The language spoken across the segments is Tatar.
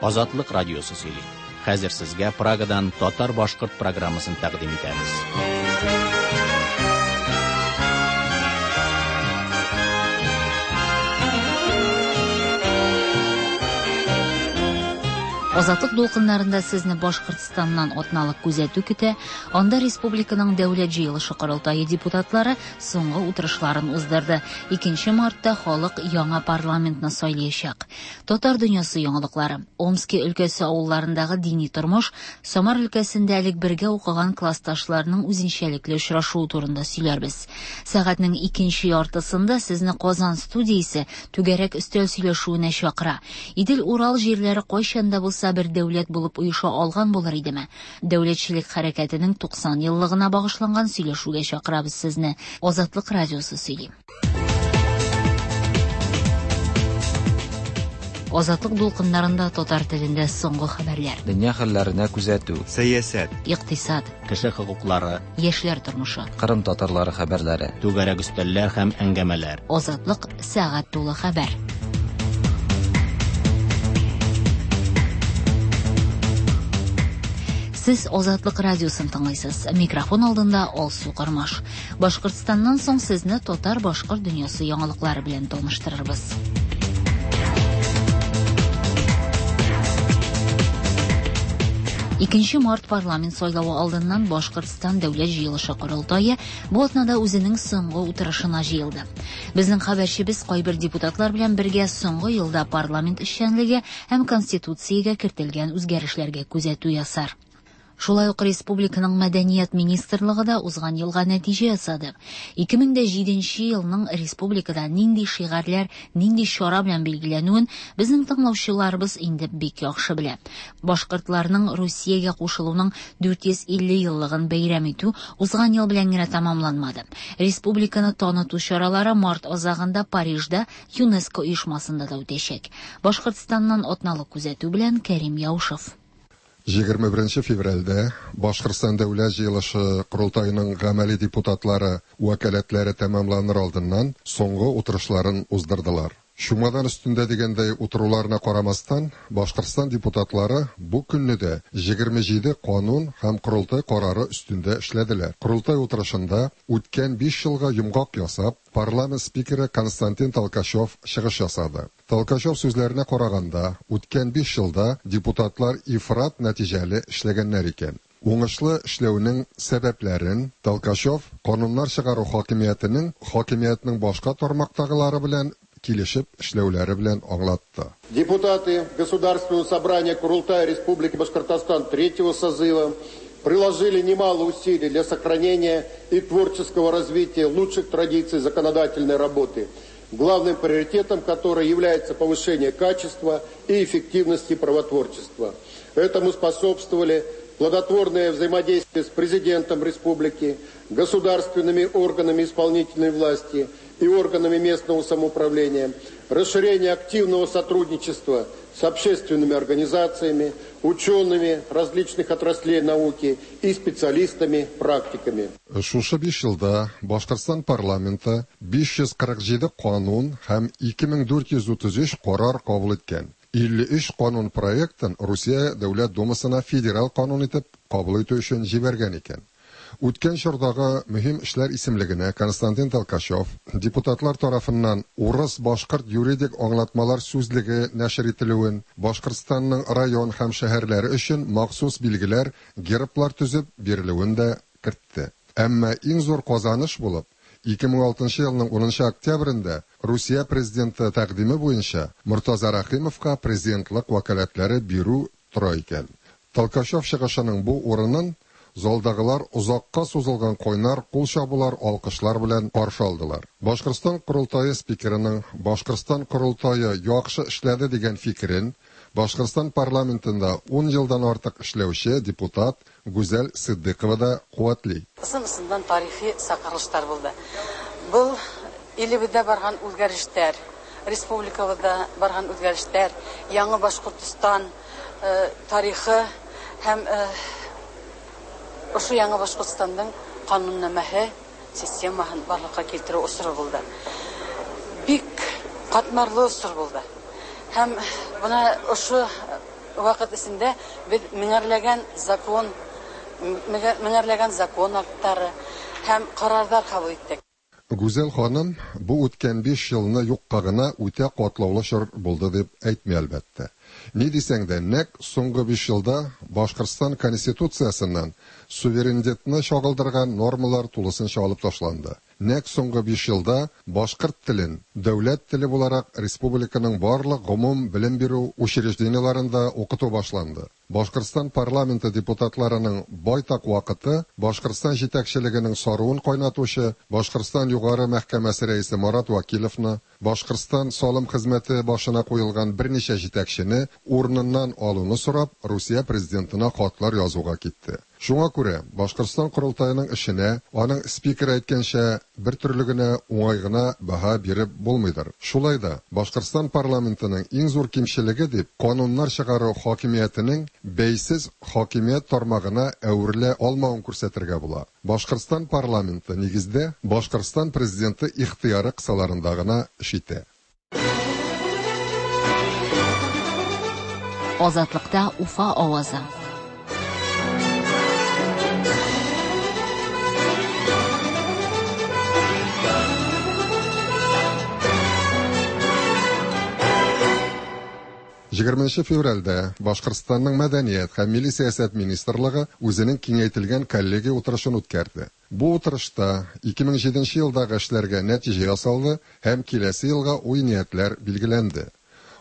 Азатлык радиосы сөйли. Хәзер сезгә Прагадан татар-башкорт программасын тәкъдим итәбез. Азатлык дулкыннарында сезне Башкортстаннан атналык күзәтү көтә. Анда республиканың Дәүләт җыелышы корылтае депутатлары соңгы утырышларын уздырды. 2 мартта халык яңа парламентны сайлаячак. Татар дөньясы яңалыклары. Омски өлкәсе авылларындагы дини тормыш, Самар өлкәсендә элек бергә укыган классташларның үзенчәлекле очрашуы турында сөйләрбез. Сәгатьнең икенче яртысында сезне Казан студиясе түгәрәк өстәл сөйләшүенә чакыра. Идел-Урал җирләре кайчан да булса бер дәүләт булып оеша алган булыр идеме? Дәүләтчелек хәрәкәтенең 90 еллыгына багышланган сөйләшүгә чакырабыз сезне. Азатлык радиосы сөйли. Азатлык дулкыннарында татар телендә соңгы хәбәрләр. Дөнья хәлләренә күзәтү. Сәясәт. Икътисад. Кеше хокуклары. Яшьләр тормышы. Кырым татарлары хәбәрләре. Түгәрәк өстәлләр һәм әңгәмәләр. Азатлык сәгать тулы хәбәр. Сез Азатлык радиосын тыңлыйсыз. Микрофон алдында Алсу Кормаш. Башкортстаннан соң сезне татар-башкорт дөньясы яңалыклары белән таныштырырбыз. Икенче март парламент сайлавы алдыннан Башкортстан Дәүләт җыелышы корылтае бу атнада үзенең соңгы утырышына җыелды. Безнең хәбәрчебез кайбер депутатлар белән бергә соңгы елда парламент эшчәнлеге һәм конституциягә кертелгән үзгәрешләргә күзәтү ясар. Шулай ук республиканың мәдәният министрлыгы да узган елга нәтиҗә ясады. 2007 елның республикада нинди шигарьләр, нинди чара белән билгеләнүен безнең тыңлаучыларыбыз инде бик яхшы белә. Башкортларның Русиягә кушылуның 450 еллыгын бәйрәм итү узган ел белән генә тәмамланмады. Республиканы таныту чаралары март азагында Парижда ЮНЕСКО оешмасында да үтәчәк. Башкортстаннан атналык күзәтү белән Кәрим Яушев. 21 февральдә Башкортстан Дәүләт җыелышы корылтаеның гамәли депутатлары вәкаләтләре тәмамланыр алдыннан соңгы утырышларын уздырдылар. Чумадан өстендә дигәндәй утыруларына карамастан, Башкортстан депутатлары бу көнне дә 27 канун һәм корылтай карары өстендә эшләделәр. Корылтай утырышында үткән 5 елга йомгак ясап, парламент спикеры Константин Толкачев чыгыш ясады. Толкачев сүзләренә караганда, үткән 5 елда депутатлар ифрат нәтиҗәле эшләгәннәр икән. Уңышлы эшләүнең сәбәпләрен Толкачев кануннар чыгару хакимиятенең хакимиятнең башка тармактагылары белән килешеп эшләүләре белән аңлатты. Депутаты Государственного собрания Курултая Республики Башкортостан третьего созыва приложили немало усилий для сохранения и творческого развития лучших традиций законодательной работы, главным приоритетом которой является повышение качества и эффективности правотворчества. Этому способствовали плодотворное взаимодействие с президентом республики, государственными органами исполнительной власти и органами местного самоуправления, расширение активного сотрудничества с общественными организациями, учеными различных отраслей науки и специалистами-практиками. Шушы 5 елда Башкортстан парламенты 547 канун һәм 2433 карар кабул иткән. 53 канун проектын Русия Дәүләт Думасына федераль канун итеп кабул итү өчен җибәргән икән. Үткән чордагы мөһим эшләр исемлегенә Константин Толкачев депутатлар тарафыннан урыс-башкорт юридик аңлатмалар сүзлеге нәшер ителүен, Башкортстанның район һәм шәһәрләре өчен махсус билгеләр, герблар төзеп бирелүен дә кертте. Әмма иң зур казаныш булып 2006 елның 10 октябрендә Русия президенты тәкъдиме буенча Мортаза Рәхимовка президентлык вәкаләтләре бирү тора икән. Толкачев чыгышының бу урынын залдагылар озакка сузылган кайнар кул чабулар, алкышлар белән каршы алдылар. Башкортстан корылтае спикерының Башкортстан корылтае яхшы эшләде дигән фикерен Башкортстан парламентында 10 елдан артык эшләүче депутат Гүзәл Сиддыкова да куәтли. Ысынысындан тарихи сакырылыштар булды. Был илебеҙҙә барған үҙгәрештәр, республикабыҙҙа барған үҙгәрештәр, яңы Башҡортостан тарихы һәм ошо яңы Башҡортостандың ҡануннамәһе системаһын барлыҡҡа килтереү осоро булды. Бик ҡатмарлы осор булды. Һәм бына ошо вакыт эчендә без меңәрләгән закон, меңәрләгән закон актлары һәм карарлар кабул иттек. Гүзәл ханым бу үткән 5 елны юкка гына үтә катлаулы чор булды дип әйтми, әлбәттә. Ни дисәң дә, нәкъ соңгы 5 елда Башкортстан Конституциясеннән суверенитетны чагылдырган нормалар тулысынча алып ташланды. Нәкъ соңгы 5 елда башкорт телен дәүләт теле буларак республиканың барлык гомум белем бирү учреждениеләрендә укыту башланды. Башкортстан парламенты депутатларының байтак вакыты Башкортстан җитәкчелегенең саруын кайнатучы Башкортстан Югары мәхкәмәсе рәисе Марат Вәкиловны, Башкортстан салым хезмәте башына куелган берничә җитәкчене урыныннан алуны сорап Русия президентына хатлар язуга китте. Шуңа күрә Башкортстан Корылтаеның эшенә, аның спикеры әйткәнчә, бер төрле генә уңай гына баһа биреп булмыйдыр. Шулай да Башкортстан парламентының иң зур кимчелеге дип кануннар чыгару хакимиятенең бәйсез хакимият тармагына әверелә алмавын күрсәтергә була. Башкортстан парламенты нигездә Башкортстан президенты ихтыяры кысаларында гына эш итә. Азатлыкта Уфа авазы. Егерменче февральдә Башкортстанның Мәдәният һәм милли сәясәт министрлыгы үзенең киңәйтелгән коллегия утырышын үткәрде. Бу утырышта 2007 елдагы эшләргә нәтиҗә ясалды һәм киләсе елга уй-ниятләр билгеләнде.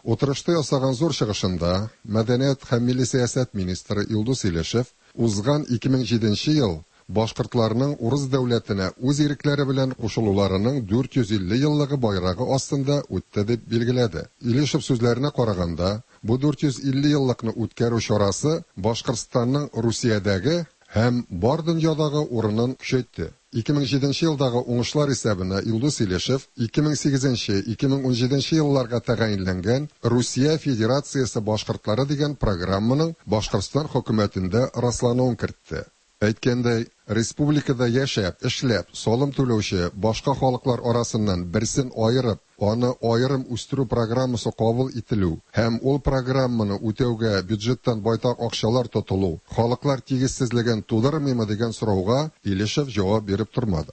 Утырышта ясаган зур чыгышында Мәдәният һәм милли сәясәт министры Илдус Илешев узган 2007 ел башкортларның урыс дәүләтенә үз ирекләре белән кушылуларының 450 еллыгы байрагы астында үтте дип билгеләде. Илешев сүзләренә караганда, бу 450 еллыкны үткәрү чарасы Башкортстанның Русиядәге һәм бар дөньядагы урынын көчәйтте. 2007 елдагы уңышлар исәбенә Илдус Илешев 2008-2017 елларга тәгаенләнгән Русия Федерациясе башкортлары дигән программаның Башкортстан хөкүмәтендә раслануын кертте. Әйткәндәй, республикада яшәп, эшләп, салым түләүче башка халыклар арасыннан берсен аерып, аны аерым үстерү программасы кабул ителү һәм ул программаны үтәүгә бюджеттан байтак акчалар тотылу халыклар тигезсезлеген тудырмыймы дигән сорауга Илешев җавап биреп тормады.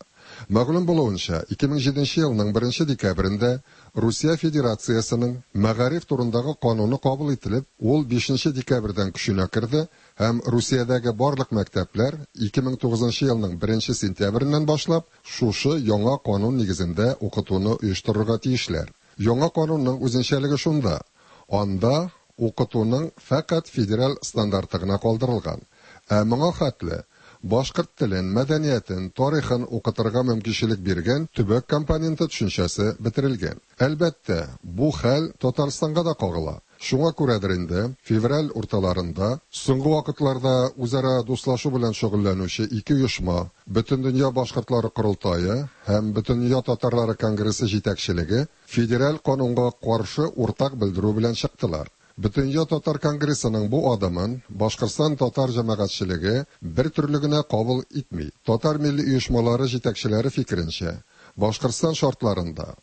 Мәгълүм булуынча, 2007 елның 1 декабрендә Русия Федерациясенең мәгариф турындагы кануны кабул ителеп, ул 5 декабрьдән көченә керде һәм Русиядәге барлык мәктәпләр 2009 елның 1 сентябреннән башлап шушы яңа канун нигезендә укытуны оештырырга тиешләр. Яңа канунның үзенчәлеге шунда: анда укытуның фәкать федераль стандарты гына калдырылган. Ә моңа хәтле башкорт телен, мәдәниятен, тарихын укытырга мөмкинчелек биргән төбәк компоненты төшенчәсе бетерелгән. Әлбәттә, бу хәл Татарстанга да кагыла. Шуңа күрәдер инде, февраль урталарында соңгы вакытларда үзара дуслашу белән шөгыльләнүче ике оешма, Бөтендөнья башкортлары корылтае һәм Бөтендөнья татарлары конгрессы җитәкчелеге федераль канунга каршы уртак белдерү белән чыктылар. Бөтендөнья татар конгрессының бу адымын Башкортстан татар җәмәгатьчелеге бер төрле генә кабул итми. Татар милли оешмалары җитәкчеләре фикеренчә, Башкортстан шартларында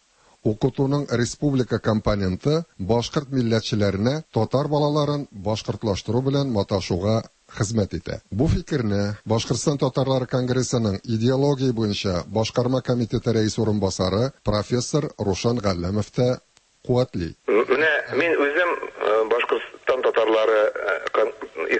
укытуның республика компоненты башкорт милләтчеләренә татар балаларын башкортлаштыру белән маташуга хезмәт итә. Бу фикерне Башкортстан татарлары конгрессының идеология буенча башкарма комитеты рәис урынбасары профессор Рушан Галләмов та куәтли. Менә мин үзем Башкортстан татарлары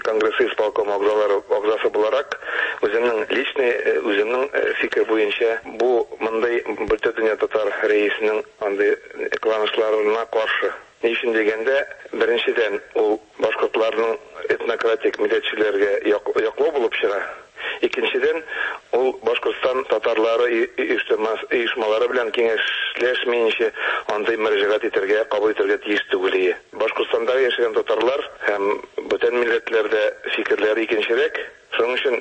конгрессы исполком әгъзасы буларак, үземнең личный, үземнең фикер буенча бу мондый Бөтендөнья татар рәисенең андый кыланышларына каршы. Ни өчен дигәндә, беренчедән, ул башкортларның этнократик милләтчеләргә яклау булып чыга. Икенчедән, ул Башкортстан татарлары оешмалары белән киңәшләшмәенчә андый мөрәҗәгать итәргә, кабул итәргә тиеш түгел иде. Башкортстанда яшәгән татарлар һәм бүтән милләтләрдә фикерләре икенчерәк. Шуның өчен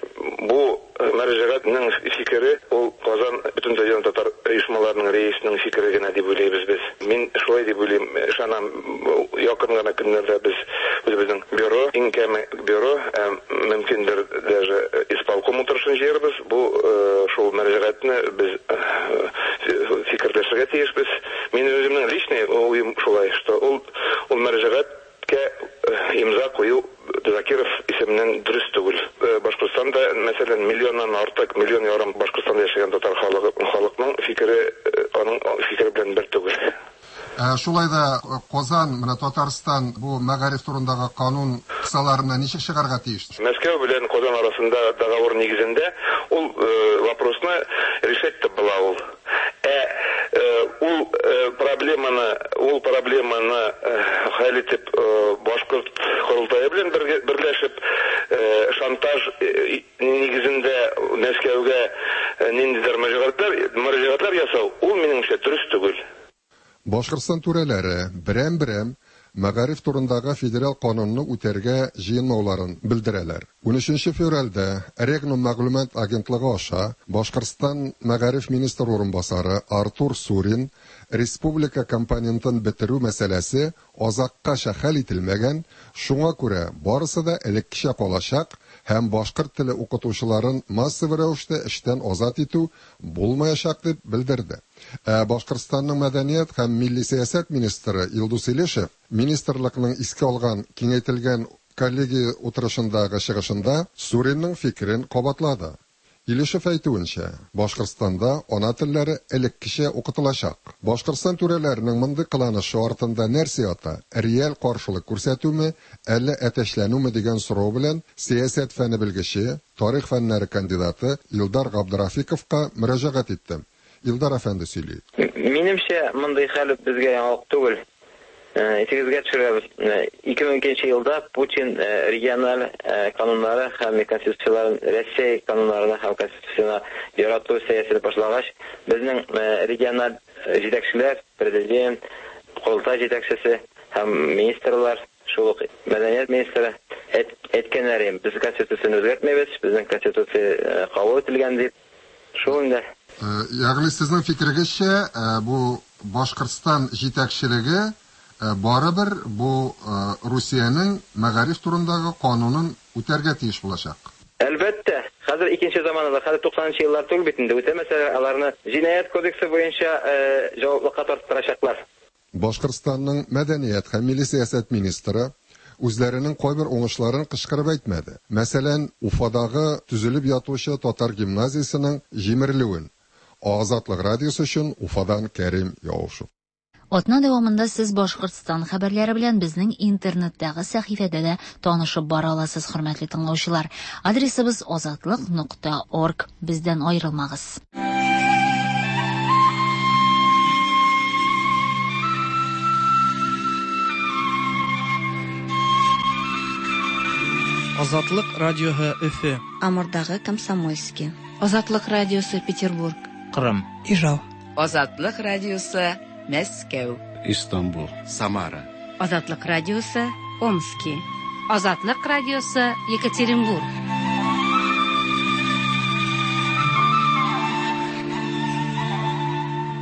бу мөрәҗәгатьнең фикере ул Казан Бөтендөнья татар оешмаларының рәисенең фикере генә дип уйлыйбыз без. Мин шулай дип уйлыйм, ышанам, якын гына көннәрдә без үзебезнең бюро, иң кәме бюро, мөмкиндер даже исполком утырышын җыярбыз. Бу шул мөрәҗәгатьне без фикерләшергә тиешбез. Мин үземнең личный уем шулай, что ул мөрәҗәгатькә имза кую фикере аның фикере белән бер түгел. Шулай да Казан, менә Татарстан бу мәгариф турындагы канун кысаларына ничек чыгарга тиеш? Мәскәү белән Казан арасында договор нигезендә ул вопросны решать итеп була ул. Ә ул проблеманы, ул проблеманы хәл итеп башкорт корылтае белән берләшеп шантаж нигезендә Мәскәүгә ниндидер мөрәҗәгатьләр ясау, ул минемчә дөрес түгел. Башкортстан түрәләре берәм-берәм мәгариф турындагы федераль канунны үтәргә җыенмауларын белдерәләр. 13 февральдә Регнум мәгълүмат агентлыгы аша Башкортстан мәгариф министр урынбасары Артур Сурин республика компонентын бетерү мәсьәләсе азаккача хәл ителмәгән, шуңа күрә барысы да элеккечә калачак һәм башкорт теле укытучыларын массовый рәвештә эштән азат итү булмаячак дип белдерде. Ә Башкортстанның мәдәният һәм милли сәясәт министры Илдус Илешев министрлыкның искә алган киңәйтелгән коллегия утырышындагы чыгышында Суринның фикерен кабатлады. Илешев әйтүенчә, Башкортстанда ана телләре элеккечә укытылачак. Башкортстан түрәләренең мондый кыланышы артында нәрсә ята? Реаль каршылык күрсәтүме, әллә әтәчләнүме дигән сорау белән сәясәт фәне белгече, тарих фәннәре кандидаты Илдар Габдрафиковка мөрәҗәгать иттем. Илдар әфәнде сөйли. Минемчә, мондый хәл безгә яңалык түгел. Исегезгә төшерәбез. 2002 елда Путин региональ кануннары һәм конституцияләрен Россия кануннарына һәм конституциясенә ярату сәясәте башлагач, безнең региональ җитәкчеләр, президент, корылтай җитәкчесе һәм министрлар, шул ук мәдәният министры әйткәннәр, без конституцияне үзгәртмәйбез, безнең конституция кабул ителгән дип. Шул инде. Ягъни сезнең фикерегезчә, бу Башкортстан җитәкчелеге барыбер бу Русиянең мәгариф турындагы канунын үтәргә тиеш булачак. Әлбәттә, хәзер икенче заманада, хәзер 90 еллар түгел бит инде, үтәмәсәләр, аларны җинаять кодексы буенча җаваплыкка тарттырачаклар. Башкортстанның мәдәният һәм милли сәясәт министры үзләренең кайбер уңышларын кычкырып әйтмәде. Мәсәлән, Уфадагы төзелеп ятучы татар гимназиясенең җимерелүен. Азатлык радиосы өчен Уфадан Кәрим Яушев. Атна дәвамында сез Башкортстан хәбәрләре белән безнең интернеттагы сәхифәдә дә танышып бара аласыз, хөрмәтле тыңлаучылар. Адресыбыз azatliq.org. Бездән аерылмагыз. Азатлык радиоһы Өфе. Амурдагы Комсомольский. Азатлык радиосы Петербург. Кырым. Ижау. Азатлык радиосы Мәскәү. Истанбул. Самара. Азатлык радиосы Омски. Азатлык радиосы Екатеринбург.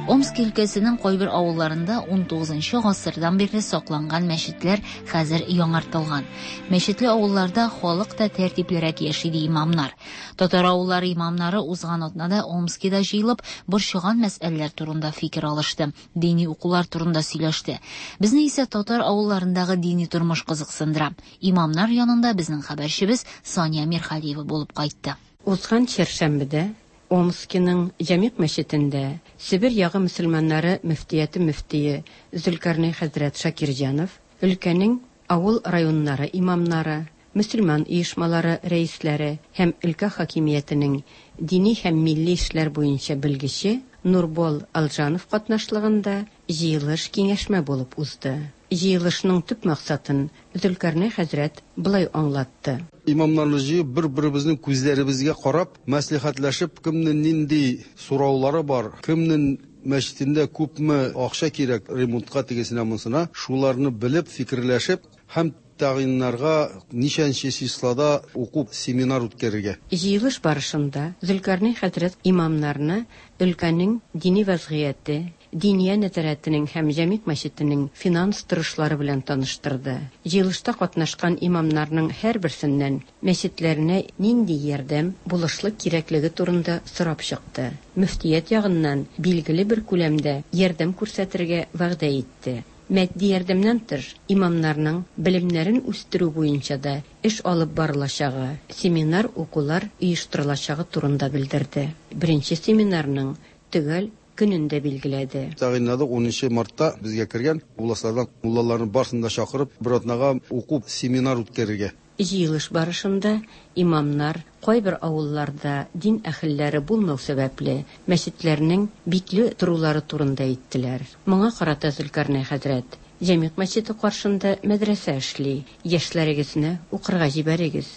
Омск өлкәсенең кайбер авылларында 19 гасырдан бирле сакланган мәчетләр хәзер яңартылган. Мәчетле авылларда халык та тәртиплерәк яши ди имамнар. Татар авыллары имамнары узган атнада Омскида җыелып, борчыган мәсьәләләр турында фикер алышты, дини укулар турында сөйләште. Безне исә татар авылларындагы дини тормыш кызыксындыра. Имамнар янында безнең хәбәрчебез Сания Мирхалиева булып кайтты. Узган чәршәмбедә Омскиның Җәмигъ мәчетендә Себер ягы мөселманнары мөфтияте мөфтие Зөлкарнәй хәзрәт Шакирҗанов, өлкәнең авыл районнары имамнары, мөселман оешмалары рәисләре һәм өлкә хакимиятенең дини һәм милли эшләр буенча белгече Нурбол Алжанов катнашлыгында җыелыш киңәшмә булып узды. Җыелышның төп максатын Зөлкарнәй хәзрәт болай аңлатты. Имамнарны җыеп, бер-беребезнең күзләребезгә карап, мәслихәтләшеп, кемнең нинди сораулары бар, кемнең мәчетендә күпме акча кирәк ремонтка тегесенә монсына, шуларны белеп, фикерләшеп һәм тәгъйиннарга ничәнче числода уку семинар үткәрергә. Җыелыш барышында Зөлкарнәй хәзрәт имамнарны өлкәнең дини вазгыяте, Диния нәзарәтенең һәм Җәмигъ мәчетенең финанс торышлары белән таныштырды. Җыелышта катнашкан имамнарның һәрберсеннән мәчетләренә нинди ярдәм, булышлык кирәклеге турында сорап чыкты. Мөфтият ягыннан билгеле бер күләмдә ярдәм күрсәтергә вәгъдә итте. Матди ярдәмнән тыш, имамнарның белемнәрен үстерү буенча да эш алып барылачагы, семинар укулар оештырылачагы турында белдерде. Беренче семинарның төгәл көнен дә билгеләде. Тәгаенләдек, унынчы мартта безгә кергән областьлардан муллаларны барысын да чакырып, бер атнага уку, семинар үткәрергә. Җыелыш барышында имамнар кайбер авылларда дин әһелләре булмау сәбәпле, мәчетләрнең бикле торулары турында әйттеләр. Моңа карата Зөлкарнәй хәзрәт, Җәмигъ мәчете каршында мәдрәсә эшли, яшьләрегезне укырга җибәрегез,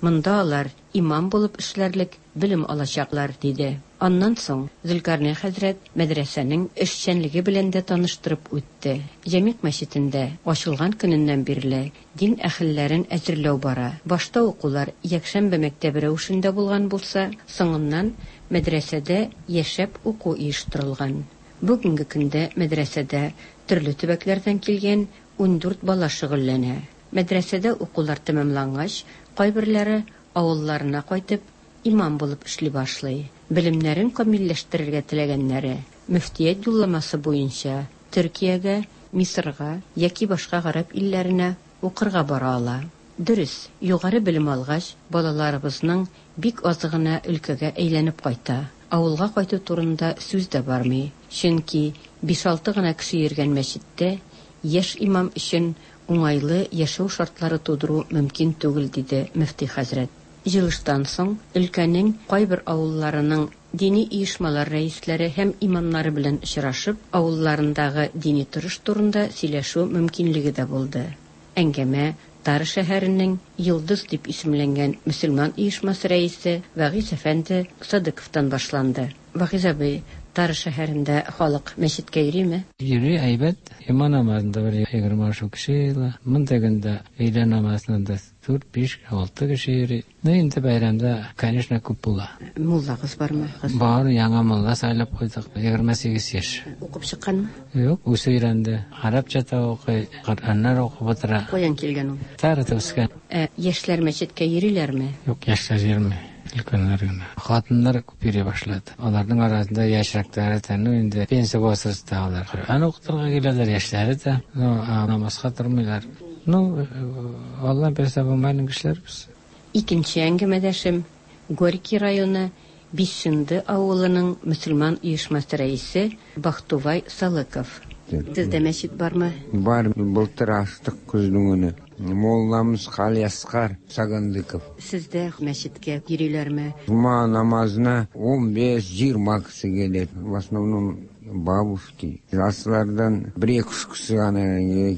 монда алар имам булып эшләрлек белем алачаклар, диде. Аннан соң Зөлкарнәй хәзрәт мәдрәсәнең эшчәнлеге белән дә таныштырып үтте. Җәмигъ мәчетендә ачылган көненнән бирле дин әһелләрен әзерләү бара. Башта укулар якшәмбе мәктәбе рәвешендә булган булса, соңыннан мәдрәсәдә яшәп уку оештырылган. Бүгенге көндә мәдрәсәдә төрле төбәкләрдән килгән 14 бала шөгыльләнә. Мәдрәсәдә укулар тәмамлангач, кайберләре авылларына кайтып, имам булып эшли башлый. Белемнәрен камилләштерергә теләгәннәре, мөфтият юлламасы буенча, Төркиягә, Мисырга яки башка гарәп илләренә укырга бара ала. Дөрес, югары белем алгач, балаларыбызның бик азы гына өлкәгә әйләнеп кайта. Авылга кайту турында сүз дә бармый, чөнки биш-алты гына кеше йөргән мәчеттә яшь имам өчен уңайлы яшәү шартлары тудыру мөмкин түгел, диде мөфти хәзрәт. Җыелыштан соң өлкәнең кайбер авылларының дини оешмалар рәисләре һәм имамнары белән очрашып, авылларындагы дини торыш турында сөйләшү мөмкинлеге дә булды. Әңгәмә Тара шәһәренең Йолдыз дип исемләнгән мөселман оешмасы рәисе Вәгыйзь әфәнде Садыковтан башланды. Вәгыйзь абый, Тара шәһәрендә халык мәчеткә йөриме? Йөри, әйбәт. Йома намазында бер 20 ашу кеше җыела. Мондый көндә өйлә намазына да дүрт, биш, алты кеше йөри. Ну, инде бәйрәмдә, конечно, күп була. Муллагыз бармы? Бар, яңа мулла сайлап куйдык. 28 яшь. Укып чыкканмы? Юк, үзе өйрәнде. Гарәпчә дә укый, Коръәннәр укып утыра. Каян килгән ул? Тарада үскән. Ә яшьләр мәчеткә йөриләрме? Юк, яшьләр йөрми. Өлкәннәр генә. Хатыннар күп йөри башлады. Аларның арасында яшьрәкләре дә, ну инде пенсия возрастагылар. Коръән укытырга киләләр, яшьләре дә. Ну, намазга тормыйлар. Ну, Алла бирсә, бу майның кешеләр без. Икенче әңгәмәдәшем, Горький районы Бишчынды авылының мөселман оешмасы рәисе Бахтувай Салыков. Сездә мәчет бармы? Бар, былтыр ачтык көзнең көне. Мулламыз Галиәсгар Сагандыков. Сездә мәчеткә йөриләрме? Җома намазына 15-20 кеше килә. В основном бабушки. Жаслардан бер-ике өч кеше гына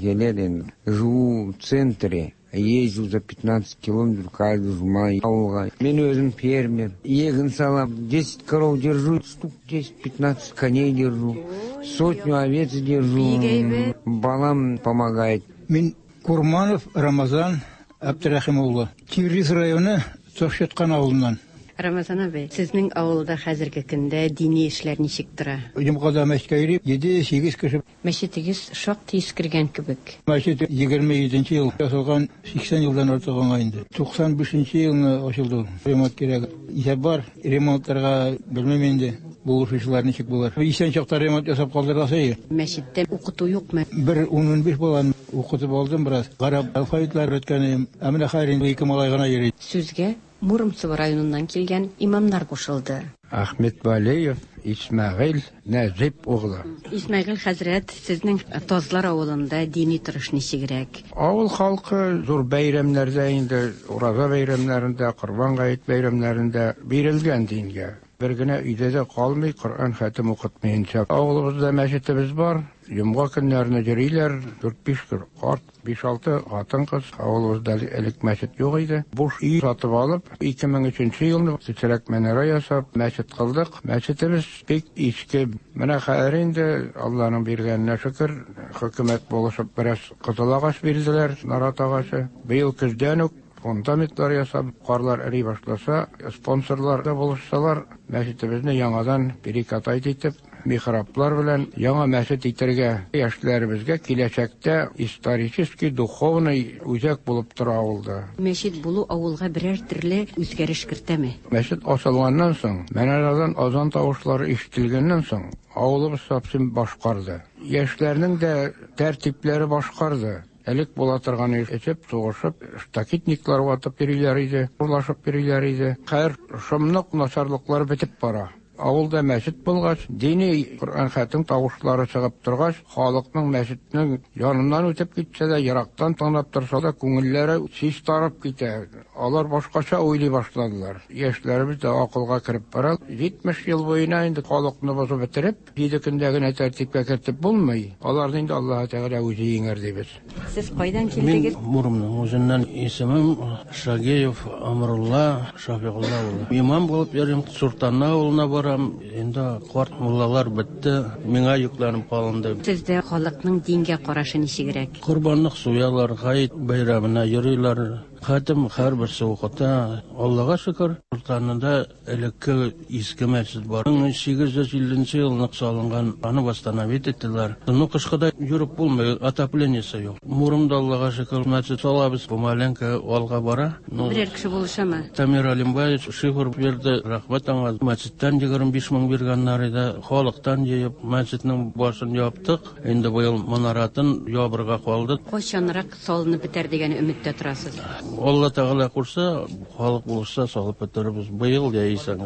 килә инде. Живу в центре. Езжу за 15 километров каждый жума авылга. Мин үзем фермер. Еген салам, 10 коров держу, штук 10-15 коней держу, сотню овец держу. Балам помогает. Мин Курманов Рамазан Әбтерәхим улы. Тигриз районы Тошеткан авылыннан. Рамазан абый, сезнең авылда хәзерге көндә дини эшләр ничек тора? Йомгада мәчеткә йөри, 7-8 кеше. Мәчетегез шактый искергән кебек. Мәчет 27 нче ел ясалган, 80 елдан артык аңа инде. 95 нче елны ачылды ул. Ремонт кирәк. Исәп бар, ремонтларга белмим инде, булышучылар ничек булыр. Исән чакта ремонт ясап калдырасы иде. Мәчеттә укыту юкмы? Бер ун-унбиш баланы укытып алдым бераз. Гарәп алфавитлары өйрәткән идем. Ә менә хәзер инде ике малай гына йөри. Сүзгә Муромцево районыннан килгән имамнар кушылды. Ахметвалиев Исмәгыйль Нәҗип углы. Исмәгыйль хәзрәт, сезнең Тазлар авылында дини торыш ничегрәк? Авыл халкы зур бәйрәмнәрдә инде, Ураза бәйрәмнәрендә, Корбан гает бәйрәмнәрендә бирелгән дингә. Бер генә өйдә дә калмый Коръән хәтем укытмыенча. Авылыбызда мәчетебез бар. Йомга көннәрне йөриләр, дүрт-биш карт, биш-алты хатын-кыз. Авылыбызда элек мәчет юк иде. Буш өй сатып алып, 2003 нче елны кечерәк манара ясап, мәчет кылдык. Мәчетебез бик иске. Менә хәзер инде, Алланың биргәненә шөкер, хөкүмәт булышып бераз кызыл агач бирделәр, нарат агачы. Быел көздән үк Фундаментлар ясап, карлар эри башласа, спонсорлар да булышсалар, мәчетебезне яңадан перекатать итеп, михраблар белән яңа мәчет итәргә, яшьләребезгә киләчәктә исторический, духовный үзәк булып тора авылда. Мәчет булу авылга берәр төрле үзгәреш кертәме? Мәчет ачылганнан соң, манарадан азан тавышлары ишетелгәннән соң, авылыбыз совсем башкарды. Яшьләрнең дә тәртипләре башкарды. Элек була торган эчеп, сугышып, штакетниклар ватып йөриләр иде, урлашып йөриләр иде. Хәер, шомлык, начарлыклар бетеп бара. Авылда мәчет булгач, дини Коръән хәтем тавышлары чыгып торгач, халыкның мәчетнең яныннан үтеп китсә дә, ерактан тыңлап торса да, күңелләре чистарып китә. Алар башкача уйлый башладылар. Яшьләребез дә акылга кереп бара. 70 ел буена инде халыкны бозып бетереп, җиде көндә генә тәртипкә кертеп булмый. Аларны инде Аллаһы Тәгалә үзе җиңәр дибез. Сез кайдан килдегез? Мин Муромның үзеннән. Исемем Шагиев Амрулла Шафигулла улы. Имам булып йөрим, Суртанна авылына барам. Инде карт муллалар бетте, миңа йөкләнеп калынды. Сездә халыкның дингә карашы ничегрәк? Корбанлык суялар, гает бәйрәменә йөриләр. Хәтем һәрберсе укыта. Аллага шөкер, Суртаннада Элекке иске мәчет бар. 1850 нче елны салынган, аны восстановить иттеләр. Ну, кышкыда йөреп булмый, отоплениесе юк. Муромда, Аллага шөкер, мәчет салабыз, помаленько алга бара. Ну, Берәр кеше булышамы? Тамир Алимбаевич шифер бирде, рәхмәт аңа. Мәчеттән 25 мең биргәннәр иде. Халыктан җыеп, мәчетнең башын яптык. Инде быел манаратын ябырга калды. Кайчанрак салынып бетәр дигән өметтә торасыз? Алла Тәгалә кушса, халык булышса, салып бетерербез. Быел яисә.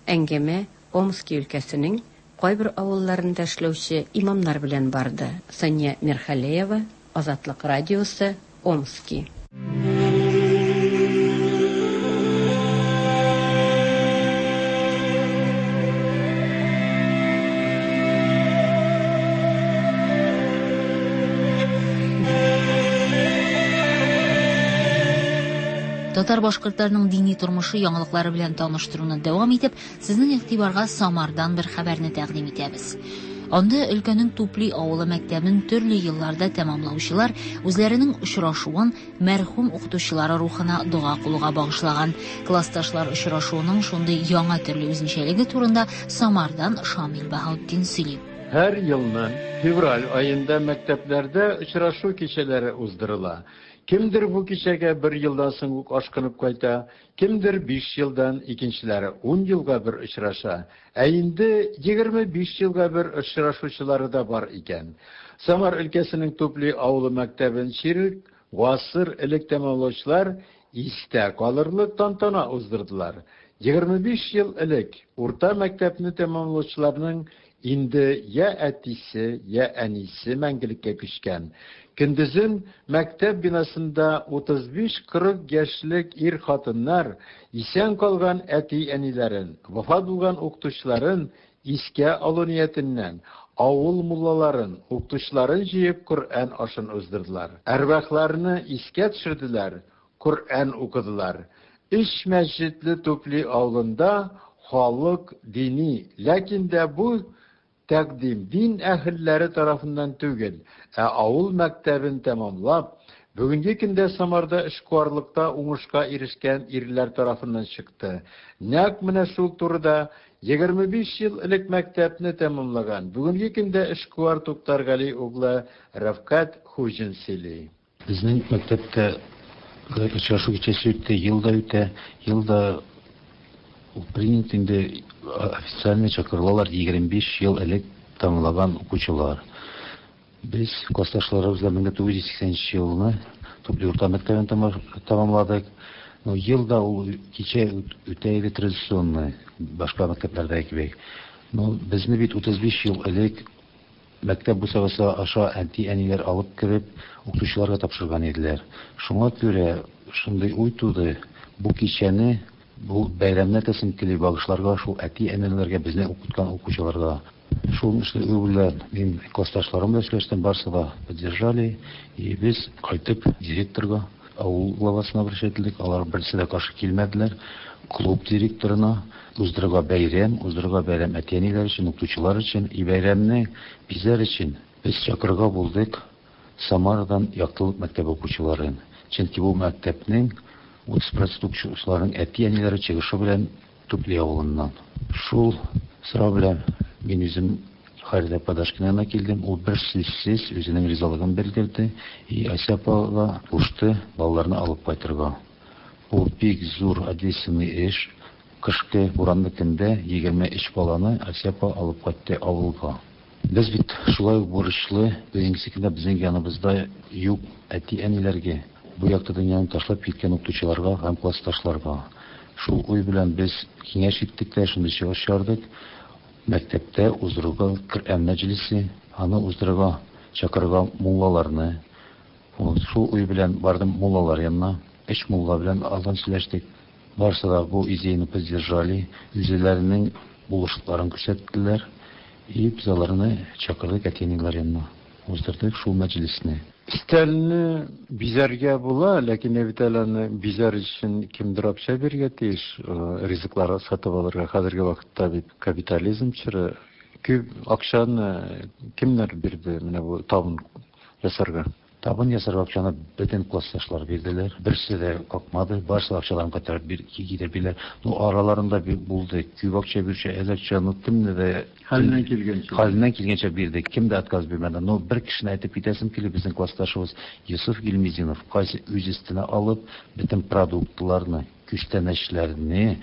Әңгәмә Омски өлкәсенең кайбер авылларында эшләүче имамнар белән барды. Сания Мирхалеева, Азатлык радиосы, Омски. Татар-башкортларның дини тормышы яңалыклары белән таныштыруны дәвам итеп, сезнең игътибарга Самардан бер хәбәрне тәкъдим итәбез. Анда өлкәнең Тупли авылы мәктәбен төрле елларда тәмамлаучылар үзләренең очрашуын мәрхүм укытучылары рухына дога кылуга багышлаган. Классташлар очрашуының шундый яңа төрле үзенчәлеге турында Самардан Шамил Баһаутдин сөйли. Һәр елны февраль аенда мәктәпләрдә очрашу кичәләре уздырыла. Кемдер бу кичәгә бер елдан соң ук ашкынып кайта, кемдер биш елдан, икенчеләре ун елга бер очраша. Ә инде 25 елга бер очрашучылары да бар икән. Самар өлкәсенең Тупли авылы мәктәбен чирек гасыр элек тәмамлаучылар истә калырлык тантана уздырдылар. 25 ел элек урта мәктәпне тәмамлаучыларның инде я әтисе, я әнисе мәңгелеккә күчкән. Көндезен мәктәп бинасында 35-40 яшьлек ир-хатыннар исән калган әти-әниләрен, вафат булган укытучыларын искә алу ниятеннән, авыл муллаларын, укытучыларын җыеп Коръән ашын уздырдылар. Әрвахларны искә төшерделәр, Коръән укыдылар. Өч мәчетле Тупли авылында халык дини, ләкин дә бу тәкъдим дин әһелләре тарафыннан түгел, ә авыл мәктәбен тәмамлап, бүгенге көндә Самарда эшкуарлыкта уңышка ирешкән ирләр тарафыннан чыкты. Нәкъ менә шул турыда 25 ел элек мәктәпне тәмамлаган, бүгенге көндә эшкуар Туктаргали углы Рәфкать Хуҗин сөйли. Безнең мәктәптә очрашу кичәсе үтте, ел да үтә, ел да ул принят инде официально чакырылалар 25 ел элек тәмамлаган укучылар. Без классташларыбыз белән 1980 елны Тупли урта мәктәбен тәмамладык. Но ел да ул кичә үтә иде традиционный, башка мәктәпләрдәге кебек. Но безне бит 35 ел элек Мәктәп бусагасы аша әти-әниләр алып кереп, укытучыларга тапшырган иделәр. Шуңа күрә шундый уй туды, бу кичәне, бу бәйрәмне әтәсем кили багышларга шул әти-әниләргә, безне укыткан укучыларга. Шул уй белән мин классташларым белән сөйләштем, барысы да поддержали. И без кайтып директорга, авыл главасына обращать ителдек, алар берсе дә каршы килмәделәр. Клуб директорына уздырырга бәйрәм, уздырырга бәйрәм әти-әниләр өчен, укытучылар өчен и бәйрәмне бизәр өчен без чакырырга булдык Самарадан Яктылык мәктәбе укучыларын. Чөнки бу мәктәпнең 30 процент укучыларының әти-әниләре чыгышы белән Тупли авылыннан. Шул сорау белән мин үзем Халидә Падашкина янына килдем. Ул бер сүзсез үзенең ризалыгын белдерде и Ася апага кушты балаларны алып кайтырга. Бу бик зур ответственный эш. Кышкы буранлы көндә 23 баланы Асия апа алып кайтты авылга. Без бит шулай ук бурычлы, бүгенгесе көндә безнең яныбызда юк әти-әниләргә, бу якты дөньяны ташлап киткән укытучыларга һәм классташларга. Шул уй белән без киңәш иттек тә, шундый чыгыш чыгардык. Мәктәптә уздырырга Коръән мәҗлесе, аны уздырырга чакырырга муллаларны. Шул уй белән бардым муллалар янына. Өч мулла белән алдан сөйләштек. Барысы да бу идеяне поддержали, үзләренең булышлыкларын күрсәттеләр. И без аларны чакырдык әти-әниләр янына. Уздырдык шул мәҗлесне. Өстәлне бизәргә була, ләкин бит әле аны бизәр өчен кемдер акча бирергә тиеш, ризыклар сатып алырга. Хәзерге вакытта бит капитализм чоры. Күп акчаны кемнәр бирде менә бу табын ясарга? Табын ясарга акчаны бөтен классташлар бирделәр. Берсе дә какмады, барысы да акчаларын кайтарып бир, китереп бирделәр. Ну, араларында булды. Күп акча бирүче, әз акча, ну, кемне дә Хәленнән килгәнчә. Хәленнән килгәнчә бирде. Кем дә отказ бирмәде. Но бер кешене әйтеп китәсем килә, безнең классташыбыз Йосыф Гильмизинов, кайсы үз өстенә алып, бөтен продуктларны, күчтәнәчләрне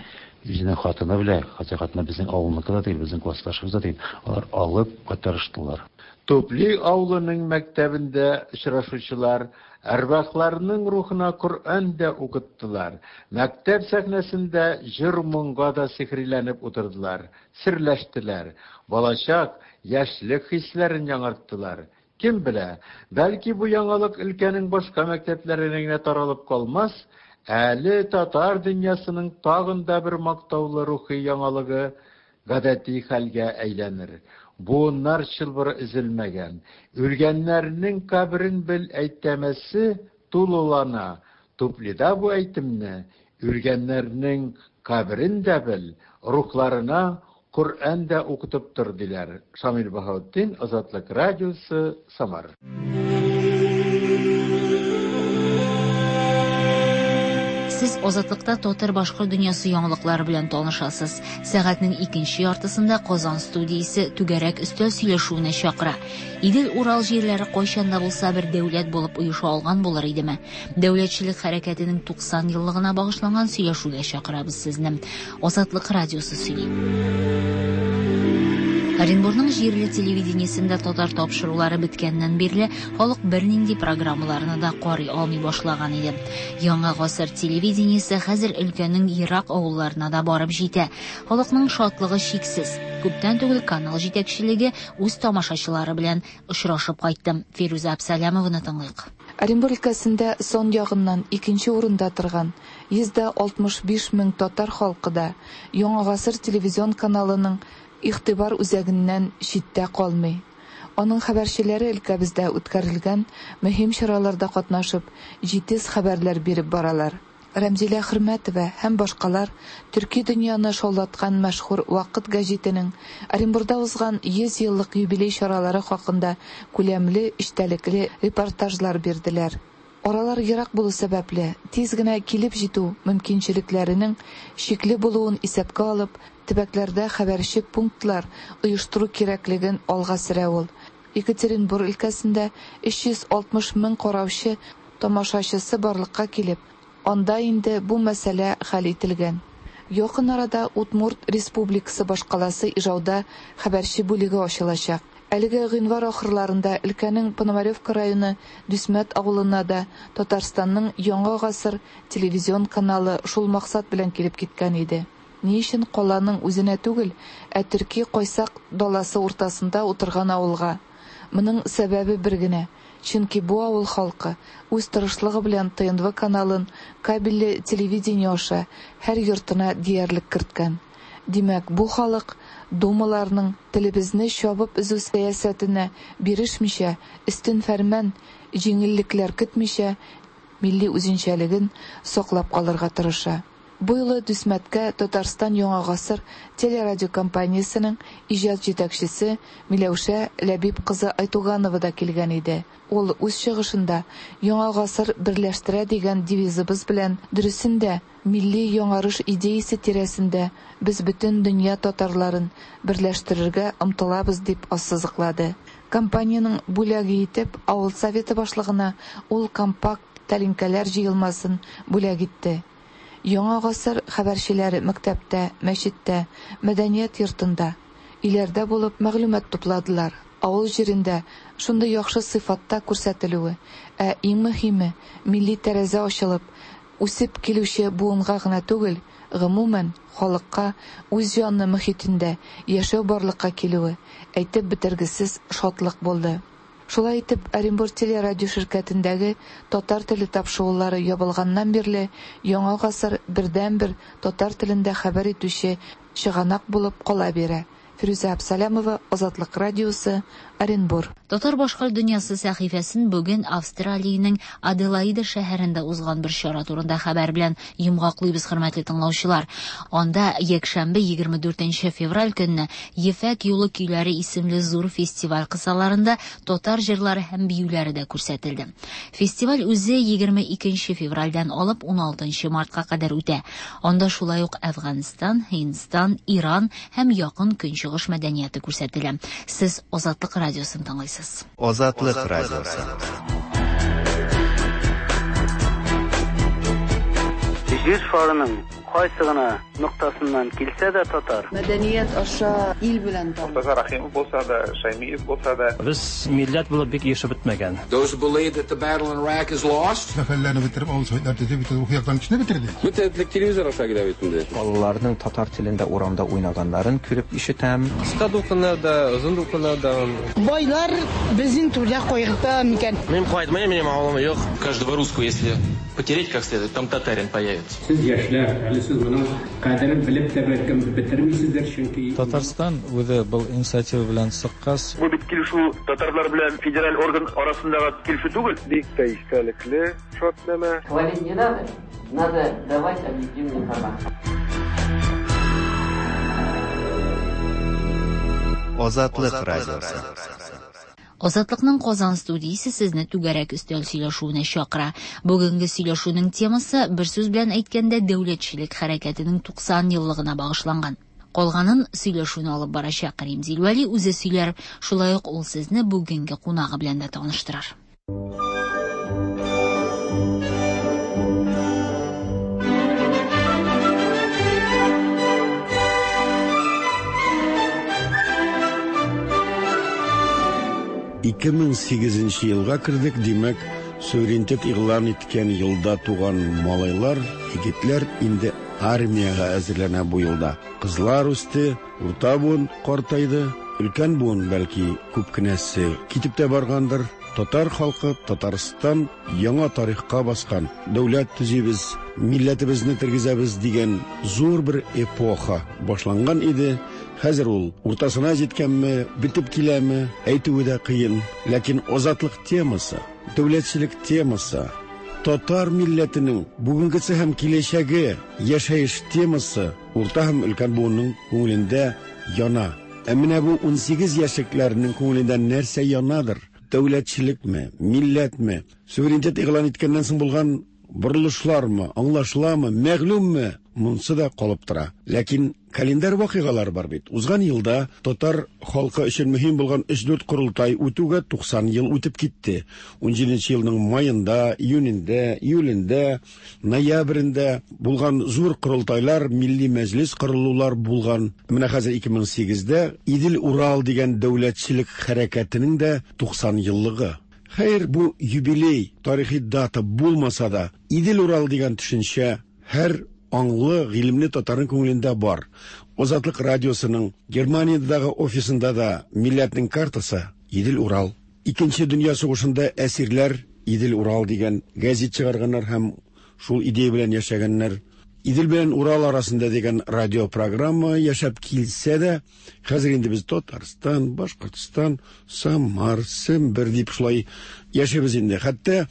үзенең хатыны белән, хотя хатыны безнең авылныкы да түгел, безнең классташыбыз да түгел, алар алып кайтарыштылар. Тупли авылының мәктәбендә очрашучылар әрвахларның рухына Коръән дә укыттылар, мәктәп сәхнәсендә җыр-моңга да сихриләнеп утырдылар, серләштеләр, балачак, яшьлек хисләрен яңарттылар. Кем белә, бәлки бу яңалык өлкәнең башка мәктәпләренә генә таралып калмас, әле татар дөньясының тагын да бер мактаулы рухи яңалыгы гадәти хәлгә әйләнер. Буыннар чылбыры өзелмәгән, үлгәннәрнең каберен бел әйтәмәсе тулылана. Туплида бу әйтемне үлгәннәрнең каберен дә бел, рухларына Коръән дә укытып тор, диләр. Шамил Баһаутдин, Азатлык радиосы, Самар. Сез Азатлыкта татар-башкорт дөньясы яңалыклары белән танышасыз. Сәгатьнең икенче яртысында Казан студиясе түгәрәк өстәл сөйләшүенә чакыра. Идел-Урал җирләре кайчан да булса бер дәүләт булып оеша алган булыр идеме? Дәүләтчелек хәрәкәтенең 90 еллыгына багышланган сөйләшүгә чакырабыз сезне. Азатлык радиосы сөйли. Оренбурның җирле телевидениесендә татар тапшырулары беткәннән бирле халык бернинди программаларны да карый алмый башлаган иде. Яңа гасыр телевидениесе хәзер өлкәнең ерак авылларына да барып җитә. Халыкның шатлыгы чиксез. Күптән түгел канал җитәкчелеге үз тамашачылары белән очрашып кайтты. Фирүзә Абсалямованы тыңлыйк. Оренбур өлкәсендә сан ягыннан икенче урында торган 165 мең татар халкы да Яңа гасыр телевизион каналының игътибар үзәгеннән читтә калмый. Аның хәбәрчеләре өлкәбездә үткәрелгән мөһим чараларда катнашып, җитез хәбәрләр биреп баралар. Рәмзилә Хөрмәтова һәм башкалар төрки дөньяны шаулаткан мәшһүр Вакыт гәҗитенең Оренбурда узган 100 еллык юбилей чаралары хакында күләмле, эчтәлекле репортажлар бирделәр. Аралар ерак булу сәбәпле, тиз генә килеп җитү мөмкинчелекләренең чикле булуын исәпкә алып, төбәкләрдә хәбәрче пунктлар оештыру кирәклеген алга сөрә ул. Екатеринбур өлкәсендә 360 мең караучы тамашачысы барлыкка килеп, анда инде бу мәсьәлә хәл ителгән. Якын арада Удмурт Республикасы башкаласы Ижауда хәбәрче бүлеге ачылачак. Әлеге гыйнвар ахырларында өлкәнең Пономаревка районы Дүсмәт авылына да Татарстанның Яңа гасыр телевизион каналы шул максат белән килеп киткән иде. Ни өчен каланың үзенә түгел, ә төрки кайсак даласы уртасында утырган авылга? Моның сәбәбе бер генә, чөнки бу авыл халкы үз тырышлыгы белән ТНВ каналын кабельле телевидение аша һәр йортына диярлек керткән. Димәк, бу халык думаларның телебезне чабып өзү сәясәтенә бирешмичә, өстен фәрман, җиңеллекләр көтмичә, милли үзенчәлеген саклап калырга тырыша. Бу юлы Дүсмәткә Татарстан Яңа гасыр телерадиокомпаниясенең иҗат җитәкчесе Миләүшә Ләбиб кызы Айтуганова да килгән иде. Ул үз чыгышында Яңа гасыр берләштерә дигән девизыбыз белән дөресен дә милли яңарыш идеясе тирәсендә без бөтен дөнья татарларын берләштерергә омтылабыз дип ассызыклады. Компаниянең бүләге итеп авыл советы башлыгына ул компакт тәлинкәләр җыелмасын бүләк итте. Яңа гасыр хәбәрчеләре мәктәптә, мәчеттә, мәдәният йортында, өйләрдә булып мәгълүмат тупладылар. Авыл җирендә шундый яхшы сыйфатта күрсәтелүе, ә иң мөһиме, милли тәрәзә ачылып, үсеп килүче буынга гына түгел, Гомумән, халыкка үз җанлы мохитендә яшәү барлыкка килүе әйтеп бетергесез шатлык булды. Шулай итеп, Оренбур телерадиоширкәтендәге татар теле тапшырулары ябылганнан бирле Яңа гасыр бердәнбер татар телендә хәбәр итүче чыганак булып кала бирә. Фирүзә Абсалямова, Азатлык радиосы, Оренбур. Татар-башкорт дөньясы сәхифәсен бүген Австралиянең Аделаида шәһәрендә узган бер чара турында хәбәр белән йомгаклыйбыз, хөрмәтле тыңлаучылар. Анда якшәмбе 24 нче февраль көнне Ефәк юлы көйләре исемле зур фестиваль кысаларында татар җырлары һәм биюләре дә күрсәтелде. Фестиваль үзе 22 нче февральдән алып 16 нчы мартка кадәр үтә. Анда шулай ук Әфганстан, Һиндстан, Иран һәм Якын Көнчыгыш мәдәнияте күрсәтелә. Сез Азатлык радиосын тыңлыйсыз. Азатлык радиосы. Җир шарының кайсы гына ноктасыннан килсә дә татар. Мәдәният аша ил белән таныш. Мортаза Рәхимов булса да, Шәймиев булса да. Без милләт булып бик ирешеп бетмәгән. Those who believe that the battle in Iraq is lost. Сәфәрләрне бетереп, авыл советлар төзеп, бөтен рухи яктан көчне бетерде. Бөтен телевизор аша килә бит инде. Балаларның татар телендә урамда уйнаганнарын күреп ишетәм. Кыска дулкыннар да, озын дулкыннар да. Байлар безнең түрдә кайгырта микән? Мин кайтмыйм, минем авылым юк. Каждого русского, если потереть как следует, там татарин появится. Сез яшьләр, әле сез моның кадерен белеп тә бәлкем бетермисездер, чөнки Татарстан үзе был инициатива белән чыккач. Бу бит килешү татарлар белән федераль орган арасындагы килешү түгел. Бик тә истәлекле шартнамә. Хвалить не надо, надо давать объективную информацию. Азатлык радиосы. Азатлыкның Казан студиясе сезне түгәрәк өстәл сөйләшүенә чакыра. Бүгенге сөйләшүнең темасы, бер сүз белән әйткәндә, дәүләтчелек хәрәкәтенең 90 еллыгына багышланган. Калганын сөйләшүне алып барачак Римзил Вәли үзе сөйләр, шулай ук ул сезне бүгенге кунагы белән дә таныштырыр. 2008 елга кердек, димәк, суверенитет игълан иткән елда туган малайлар, егетләр инде армиягә әзерләнә бу елда. Кызлар үсте, урта буын картайды, өлкән буын бәлки күп кенәсе китеп тә баргандыр. Татар халкы Татарстан яңа тарихка баскан, дәүләт төзибез, милләтебезне тергезәбез дигән зур бер эпоха башланган иде. Хәзер ул уртасына җиткәнме, бетеп киләме, әйтүе дә кыен. Ләкин азатлык темасы, дәүләтчелек темасы, татар милләтенең бүгенгесе һәм киләчәге, яшәеш темасы урта һәм өлкән буынның күңелендә яна. Ә менә бу 18 яшьлекләрнең күңелендә нәрсә янадыр? Дәүләтчелекме, милләтме, суверенитет игълан иткәннән соң булган борылышлармы, аңлашыламы, мәгълүмме? Монсы да калып тора. Ләкин календарь вакыйгалары бар бит. Узган елда татар халкы өчен мөһим булган 3-4 корылтай үтүгә 90 ел үтеп китте. 17 елның маенда, июнендә, июлендә, ноябрендә булган зур корылтайлар, милли мәҗлис корылулар булган. Менә хәзер 2008-дә Идел-Урал дигән дәүләтчелек хәрәкәтенең дә 90 еллыгы. Хәер, бу юбилей, тарихи дата булмаса да, Идел-Урал дигән төшенчә һәр аңлы, гыйлемле татарның күңелендә бар. Азатлык радиосының Германиядәге офисында да милләтнең картасы Идел-Урал. Икенче дөнья сугышында әсирләр Идел-Урал дигән гәзит чыгарганнар һәм шул идея белән яшәгәннәр. Идел белән Урал арасында дигән радиопрограмма яшәп килсә дә, хәзер инде без Татарстан, Башкортстан, Самар, Сембер дип шулай яшибез инде. Хәтта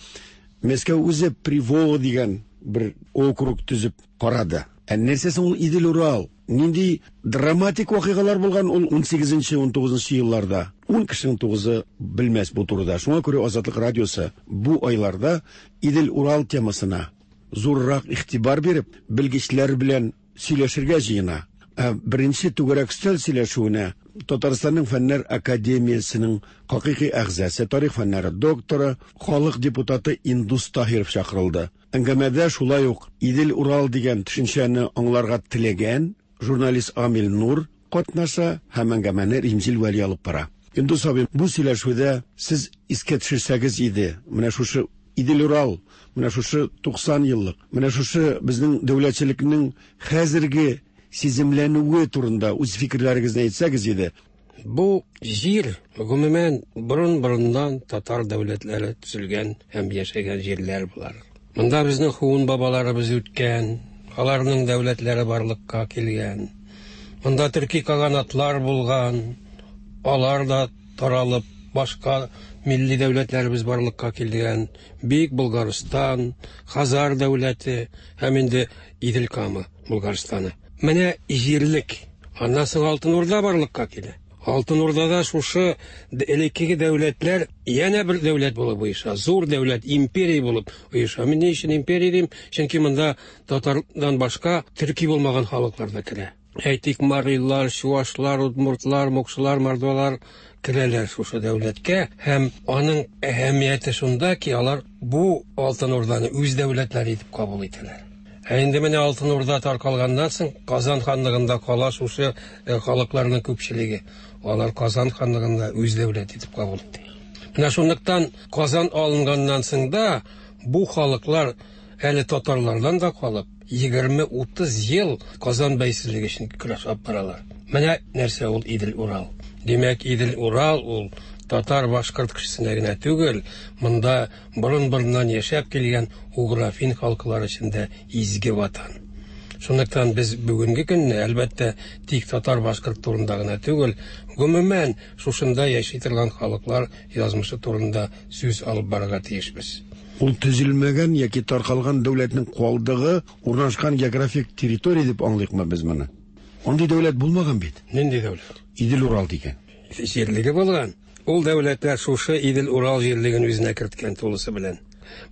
Мәскәү үзе Приволга дигән бер округ төзеп карады. Ә нәрсә соң ул Идел-Урал? Нинди драматик вакыйгалар булган ул 18-19 елларда? 10 кешенең 9-ы белмәс бу турыда. Шуңа күрә Азатлык радиосы бу айларда Идел-Урал темасына зуррак игътибар биреп, белгечләр белән сөйләшергә җыена. Ә беренче түгәрәк өстәл сөйләшүенә Татарстанның Фәннәр академиясенең хакыйкый әгъзасы, тарих фәннәре докторы, халык депутаты Индус Таһиров чакырылды. Әңгәмәдә шулай ук Идел-Урал дигән төшенчәне аңларга теләгән журналист Амил Нур катнаша һәм әңгәмәне Римзил Вәли алып бара. Индус абый, бу сөйләшүдә сез искә төшерсәгез иде, менә шушы Идел-Урал, менә шушы 90 еллык, менә шушы безнең дәүләтчелекнең хәзерге сиземләнүе турында үз фикерләрегезне әйтсәгез иде. Бу җир, гомумән, борын-борыннан татар дәүләтләре төзелгән һәм яшәгән җирләр болар. Монда безнең хуын бабаларыбыз үткән, аларның дәүләтләре барлыкка килгән. Монда төрки каганатлар булган, алар да таралып, башка милли дәүләтләребез барлыкка килгән. Бөек Болгарстан, Хазар дәүләте һәм инде Идел Кама Болгарстаны. Менә җирлек. Аннан соң Алтын Урда барлыкка килә. Алтын Урдада шушы элеккеге дәүләтләр янә бер дәүләт булып оеша, зур дәүләт, империя булып оеша. Мин ни өчен империя дим? Чөнки монда татардан башка төрки булмаган халыклар да керә. Әйтик, марилар, чуашлар, удмуртлар, мокшылар, мордвалар керәләр шушы дәүләткә һәм аның әһәмияте шунда ки, алар бу Алтын Урданы үз дәүләтләре итеп кабул итәләр. Ә инде менә Алтын Урда таркалганнан соң Казан ханлыгында кала шушы э, халыкларның күпчелеге. Алар Казан ханлыгында үз дәүләт итеп кабул итә. Менә шунлыктан Казан алынганнан соң да бу халыклар әле татарлардан да калып, 20-30 ел Казан бәйсезлеге өчен көрәш алып баралар. Менә нәрсә ул Идел-Урал. Димәк, Идел-Урал ул татар-башкорт кешесенә генә түгел, монда борын-борыннан яшәп килгән угрофин халкылар өчен дә изге ватан. Шунлыктан без бүгенге көнне, әлбәттә, тик татар-башкорт турында гына түгел, гомумән, шушында яши торган халыклар язмышы турында сүз алып барырга тиешбез. Ул төзелмәгән яки таркалган дәүләтнең калдыгы урнашкан географик территория дип аңлыйкмы без моны? Андый дәүләт булмаган бит. Нинди дәүләт? Идел-Урал дигән. Җирлеге булган. Ул дәүләтләр шушы Идел-Урал җирлеген үзенә керткән тулысы белән.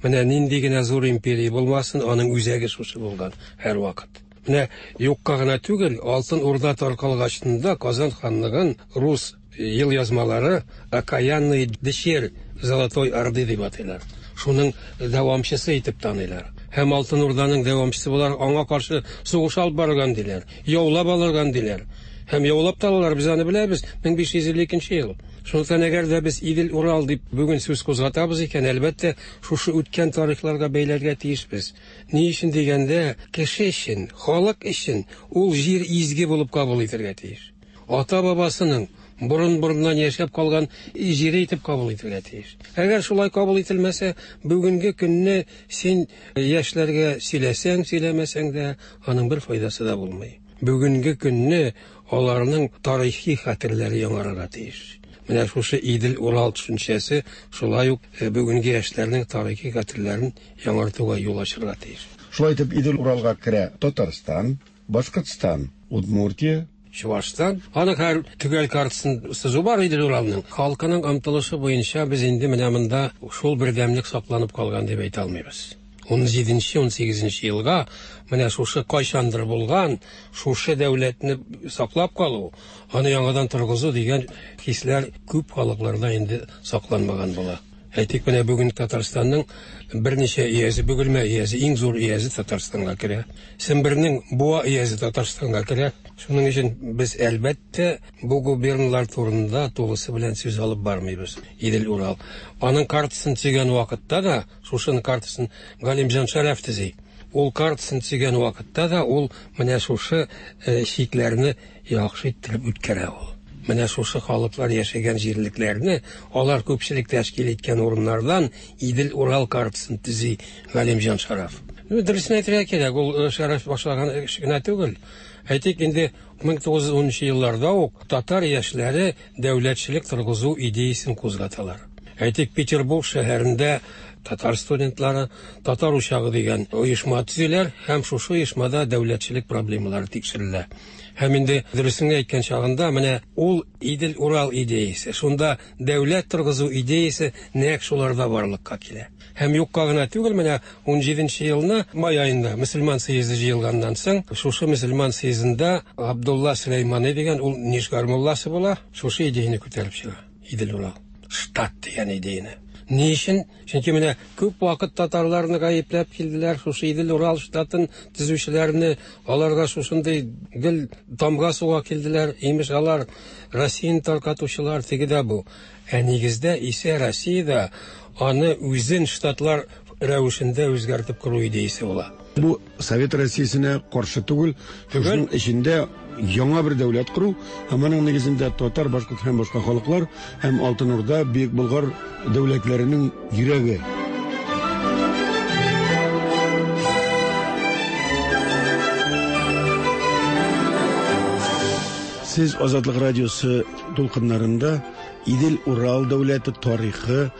Менә нинди генә зур империя булмасын, аның үзәге шушы булган һәрвакыт. Менә юкка гына түгел, Алтын Урда таркалгачында Казан ханлыгын рус ел язмалары Окаянный дщерь Золотой Орды дип атыйлар. Шуның дәвамчысы итеп таныйлар. Һәм Алтын Урданың дәвамчысы буларак аңа каршы сугыш алып барган диләр, яулап алырган диләр. Һәм яулап та алалар, без аны беләбез, 1552 ел. Шунлыктан әгәр дә без Идел-Урал дип бүген сүз кузгатабыз икән, әлбәттә, шушы үткән тарихларга бәйләргә тиешбез. Ни өчен дигәндә, кеше өчен, халык өчен ул җир изге булып кабул итәргә тиеш. Ата-бабасының борын-борыннан яшәп калган җире итеп кабул итәргә тиеш. Әгәр шулай кабул ителмәсә, бүгенге көнне син яшьләргә сөйләсәң, сөйләмәсәң дә, аның бер файдасы да булмый. Бүгенге көнне аларның тарихи хәтерләре яңарырга тиеш. Менә шушы Идел-Урал төшенчәсе шулай ук э, бүгенге яшьләрнең тарихи хәтерләрен яңартуга юл ачырга тиеш. Шулай итеп, Идел-Уралга керә Татарстан, Башкортстан, Удмуртия, Чувашстан. Аның һәр төгәл картасын сызу бар Идел-Уралның. Халкының омтылышы буенча без инде менә монда шул бердәмлек сакланып калган дип әйтә алмыйбыз. 17-18 елга менә шушы кайчандыр булган шушы дәүләтне саклап калу, аны яңадан торгызу дигән хисләр күп халыкларда инде сакланмаган була. Әйтик, менә бүген Татарстанның берничә өязе, Бөгелмә өязе, иң зур өязе Татарстанга керә. Сембернең Буа өязе Татарстанга керә. Шуның өчен без, әлбәттә, бу губерналар турында тулысы белән сүз алып бармыйбыз. Идел-Урал. Аның картасын төзегән вакытта да, шушының картасын Галимҗан Шәрәф төзи. Ул картасын төзегән вакытта да ул менә шушы э, чикләрне яхшы иттереп үткәрә ул. Менә шушы халыклар яшәгән җирлекләрне, алар күпчелек тәшкил иткән урыннардан Идел-Урал картасын төзи Галимҗан Шараф. Ну, дөресен әйтергә кирәк, ул э, Шараф башлаган эш генә түгел. Әйтик, инде 1910 елларда ук татар яшьләре дәүләтчелек торгызу идеясен кузгаталар. Әйтик, Петербург шәһәрендә татар студентлары Татар учагы дигән оешма төзиләр һәм шушы оешмада дәүләтчелек проблемалары тикшерелә. Һәм инде дөресен әйткән чагында менә ул Идел-Урал идеясе, шунда дәүләт торгызу идеясе нәкъ шуларда барлыкка килә. Һәм юкка гына түгел, менә 17 елны май аенда мөселман съезды җыелганнан соң, шушы мөселман съездында Абдулла Сөләймани дигән ул Нижгар мулласы була, шушы идеяне күтәреп чыга. Идел-Урал штат дигән идеяне. Ни өчен? Чөнки менә күп вакыт татарларны гаепләп килделәр, шушы Идел-Урал штатын төзүчеләрне, аларга шушындый гел тамга суга килделәр, имеш алар Россияне таркатучылар, теге дә бу. Ә нигездә исә Россиядә аны үзен штатлар рәвешендә үзгәртеп кору идеясе була. Бу Совет Россиясенә каршы түгел, шушының эчендә яңа бер дәүләт кору һәм аның нигезендә татар, башкорт һәм башка халыклар һәм Алтын Урда, Бөек Болгар дәүләтләренең йөрәге. Сез Азатлык радиосы дулкыннарында Идел-Урал дәүләте тарихы,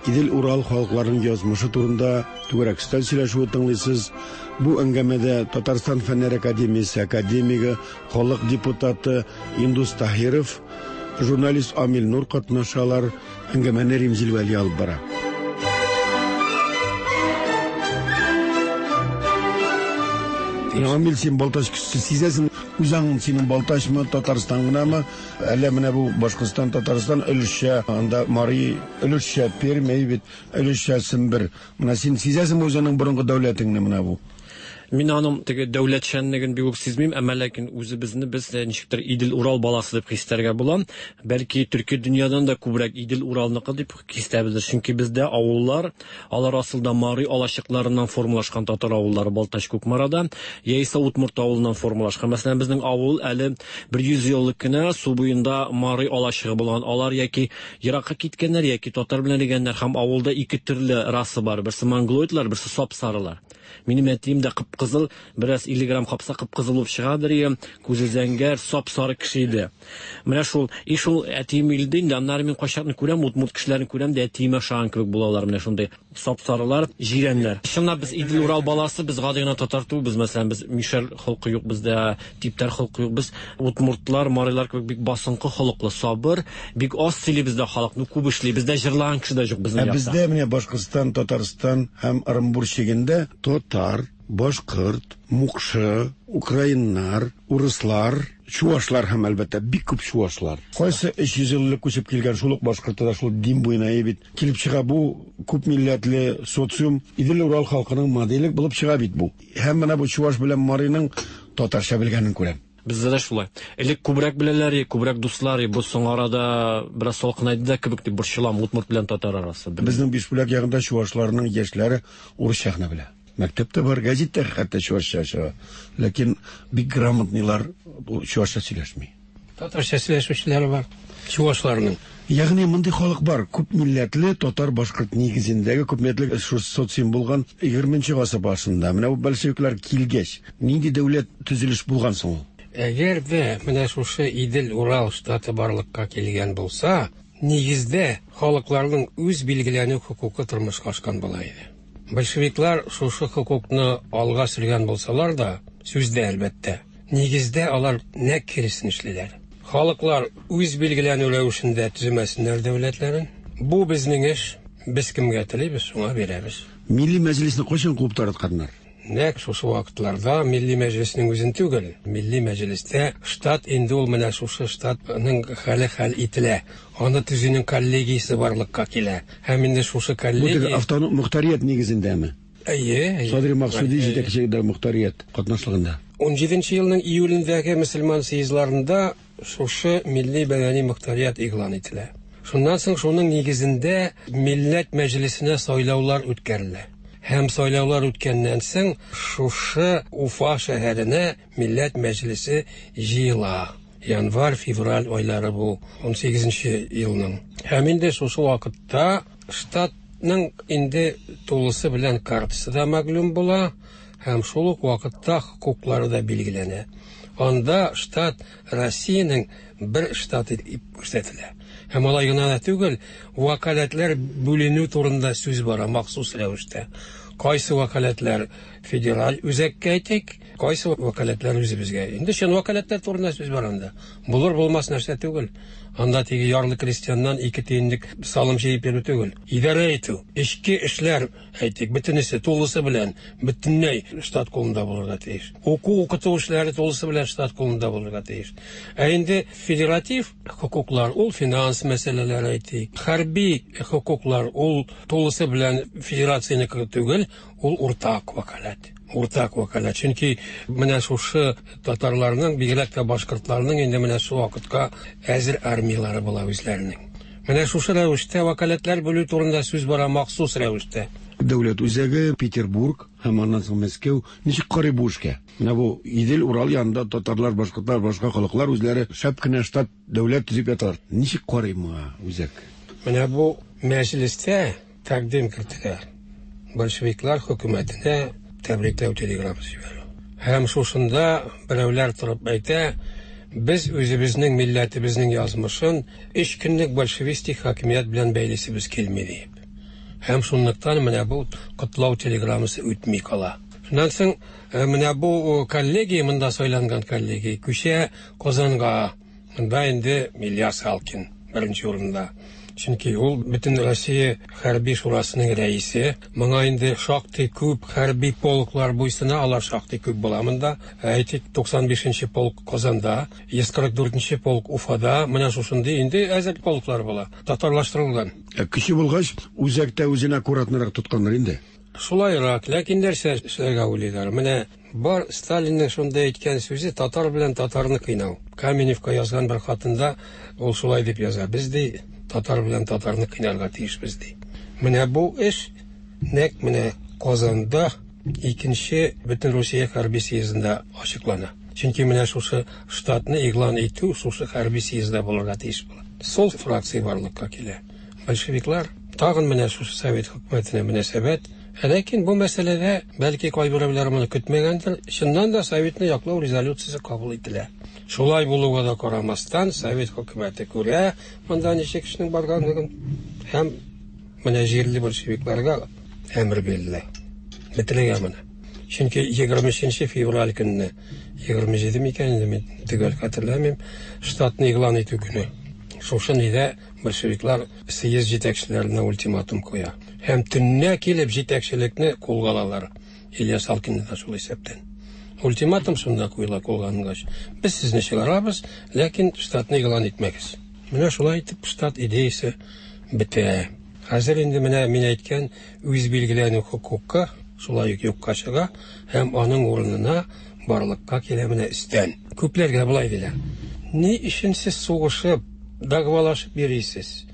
Идел-Урал халыкларының язмышы турында түгәрәк өстәл сөйләшүе тыңлыйсыз. Бу әңгәмәдә Татарстан Фәннәр академиясе академигы, халык депутаты Индус Таһиров, журналист Амил Нур катнашалар. Әңгәмәне Римзил Вәли алып бара. Амил, син Балтач кешесе сизәсең, үзаң синең Балтачмы, Татарстан гынамы? Әллә менә бу Башкортстан, Татарстан өлешчә, анда Мари өлешчә, Пермь бит, өлешчә Сембер. Менә син сизәсеңме үзеңнең борынгы дәүләтеңне менә бу? Мин аның теге дәүләтчәнлеген бик үк сизмим, әмма ләкин үзебезне без ничектер Идел-Урал баласы дип хис итәргә була. Бәлки төрки дөньядан да күбрәк Идел-Уралныкы дип хис итәбездер. Чөнки бездә авыллар, алар асылда мари алачыкларыннан формалашкан татар авыллары Балтач Кукмарада, яисә Удмурт авылыннан формалашкан. Мәсәлән, безнең авыл әле бер йөз ел элек кенә су буенда мари алачыгы булган. Алар яки еракка киткәннәр, яки татар белән эрегәннәр һәм авылда ике төрле раса бар. Берсе монголоидлар, берсе сап-сарылар. Минем әтием дә кып-кызыл, бераз 50 грамм капса кып-кызыл булып чыгадыр иде, күзе зәңгәр, сап-сары кеше иде. Менә шул, и шул әтием үлде инде, аннары мин кайчакны күрәм, удмурт кешеләрен күрәм дә әтиемә ошаган кебек булалар, менә шундый сап-сарылар, җирәннәр. Чынлап без Идел-Урал баласы, без гади генә татар түгел, без мәсәлән, без мишәр холкы юк бездә, типтәр холкы юк, без удмуртлар, марилар кебек бик басынкы холыклы, сабыр, бик аз сөйли бездә халык, ну күп эшли, бездә җырлаган кеше дә юк безнең Ә якта. бездә менә Башкортстан, Татарстан һәм Ырынбур чигендә татар, башкорт, мукшы, украиннар, урыслар, чуашлар һәм, әлбәттә, бик күп чуашлар. Кайсы 300 ел элек күчеп килгән шул ук башкорты да шул Дим буена и бит. Килеп чыга бу күп милләтле социум Идел-Урал халкының моделе булып чыга бит бу. Һәм менә бу чуаш белән мариның татарча белгәнен күрәм. Бездә дә шулай. Элек күбрәк беләләр, күбрәк дуслар, бу соңгы арада бераз салкынайды да кебек дип борчылам, удмурт белән татар арасы. Безнең Бишбүләк ягында чуашларның яшьләре урысча гына белә. Мәктәптә бар, гәзиттә хәтта чуашча чыга. Ләкин бик грамотныйлар чуашча сөйләшми. Татарча сөйләшүчеләр бар чуашларның. Ягъни мондый халык бар, күп милләтле татар башкорт нигезендәге күп милләтле социум булган 20 гасыр башында. Менә бу большевиклар килгәч, нинди дәүләт төзелеш булган соң ул? Әгәр дә менә шушы Идел-Урал штаты барлыкка килгән булса, нигездә халыкларның үз билгеләнү хокукы тормышка ашкан була иде. Большевиклар шушы хокукны алга сөргән булсалар да, сүздә әлбәттә, нигездә алар нәкъ киресен эшлиләр. Халыклар үз билгеләнү рәвешендә төземәсеннәр дәүләтләрен. Бу безнең эш, без кемгә телибез, шуңа бирәбез. Милли мәҗлесне кайчан куып таратканнар? Нәкъ шушы вакытларда Милли мәҗлеснең үзен түгел, Милли мәҗлестә штат инде ул менә шушы штатның хәле хәл ителә. Аны төзүнең коллегиясе барлыкка килә. Һәм инде шушы коллегия... Бу теге автоном мохтарият нигезендәме? Әйе, әйе. Садри Максуди җитәкчелегендә мохтарият катнашлыгында. 17 елның июлендәге мөселман съездларында шушы милли мәдәни мохтарият игълан ителә. Шуннан соң шуның нигезендә Милләт мәҗлесенә сайлаулар үткәрелә. Һәм сайлаулар үткәннән соң шушы Уфа шәһәренә Милләт мәҗлесе җыела. Январь, февраль айлары бу 18 елның. Һәм инде шушы вакытта штатның инде тулысы белән картасы да мәгълүм була, һәм шул ук вакытта хокуклары да билгеләнә. Анда штат Россиянең бер штаты дип күрсәтелә. Һәм алай гына да түгел, вәкаләтләр бүленү турында сүз бара махсус рәвештә. Кайсы вәкаләтләр федераль үзәккә әйтик, кайсы вәкаләтләр үзебезгә. Инде чын вәкаләтләр турында сүз бара анда. Булыр булмас нәрсә түгел. Анда теге ярлы крестьяннан 2 тиенлек салым җыеп йөрү түгел. Идарә итү, эчке эшләр, әйтик, бөтенесе тулысы белән, бөтенләй штат кулында булырга тиеш. Уку, укыту эшләре тулысы белән штат кулында булырга тиеш. Ә инде федератив хокуклар, ул финанс мәсьәләләре, әйтик, хәрби хокуклар, ул тулысы белән федерациянеке түгел, ул уртак вәкаләт. Уртак вәкаләт. Чөнки менә шушы татарларның, бигрәк тә башкортларның инде менә шул вакытка әзер армияләре була үзләренең. Менә шушы рәвештә вәкаләтләр бүлү турында сүз бара махсус рәвештә. Дәүләт үзәге Петербург һәм аннан соң Мәскәү ничек карый бу эшкә? Менә бу Идел-Урал янында татарлар, башкортлар, башка халыклар үзләре шәп кенә штат дәүләт төзеп яталар. Ничек карый моңа үзәк? Менә бу мәҗлестә тәкъдим кертелә. Большевиклар хөкүмәтенә тәбрикләү телеграммасы җибәрү. Һәм шушында берәүләр торып әйтә, без үзебезнең милләтебезнең язмышын 3 көнлек большевистик хакимият белән бәйлисебез килми диеп. Һәм шунлыктан менә бу котлау телеграммасы үтми кала. Шуннан соң менә бу коллегия, монда сайланган коллегия, күчә Казанга. Монда инде Ильяс Алкин беренче урында. Чөнки ул бөтен Россия хәрби шурасының рәисе. Моңа инде шактый күп хәрби полклар буйсына, алар шактый күп була монда. Әйтик, 95-нче полк Казанда, 144-нче полк Уфада, менә шушындый инде әзер полклар була, татарлаштырылган. Көче булгач, үзәктә үзен аккуратнырак тотканнар инде. Шулайрак, ләкин нәрсә эшләргә уйлыйлар? Менә бар Сталинның шунда әйткән сүзе татар белән татарны кыйнау. Каменевка язган бер хатында ул шулай дип яза. Без ди татар белән татарны кыйнарга тиешбез ди. Менә бу эш нәкъ менә Казанда икенче Бөтен Русия хәрби съездында ачыклана. Чөнки менә шушы штатны игълан итү шушы хәрби съездда булырга тиеш була. Сол фракция барлыкка килә. Большевиклар тагын менә шушы совет хөкүмәтенә мөнәсәбәт. Ләкин бу мәсьәләдә бәлки кайберәүләр моны көтмәгәндер, чыннан да советны яклау резолюциясе кабул ителә. Шулай булуга да карамастан, совет хөкүмәте күрә монда ничек эшнең барганлыгын һәм менә җирле большевикларга әмер бирелә. Бетерергә моны. Чөнки 23 февраль көнне, 27 микән инде, мин төгәл хәтерләмим, штатны игълан итү көне. Шушы нидә большевиклар съезд җитәкчеләренә ультиматум куя. Һәм төннә килеп җитәкчелекне кулга алалар. Ильяс Алкинны да шул исәптән. Ультиматум шунда куела кулга алынгач. Без сезне чыгарабыз, ләкин штатны игълан итмәгез. Менә шулай итеп штат идеясе бетә. Хәзер инде менә мин әйткән үз билгеләнү хокукы шулай ук юкка чыга һәм аның урынына барлыкка килә менә өстән. Күпләргә болай диләр. Ни өчен сез сугышып, дәгъвалашып йөрисез?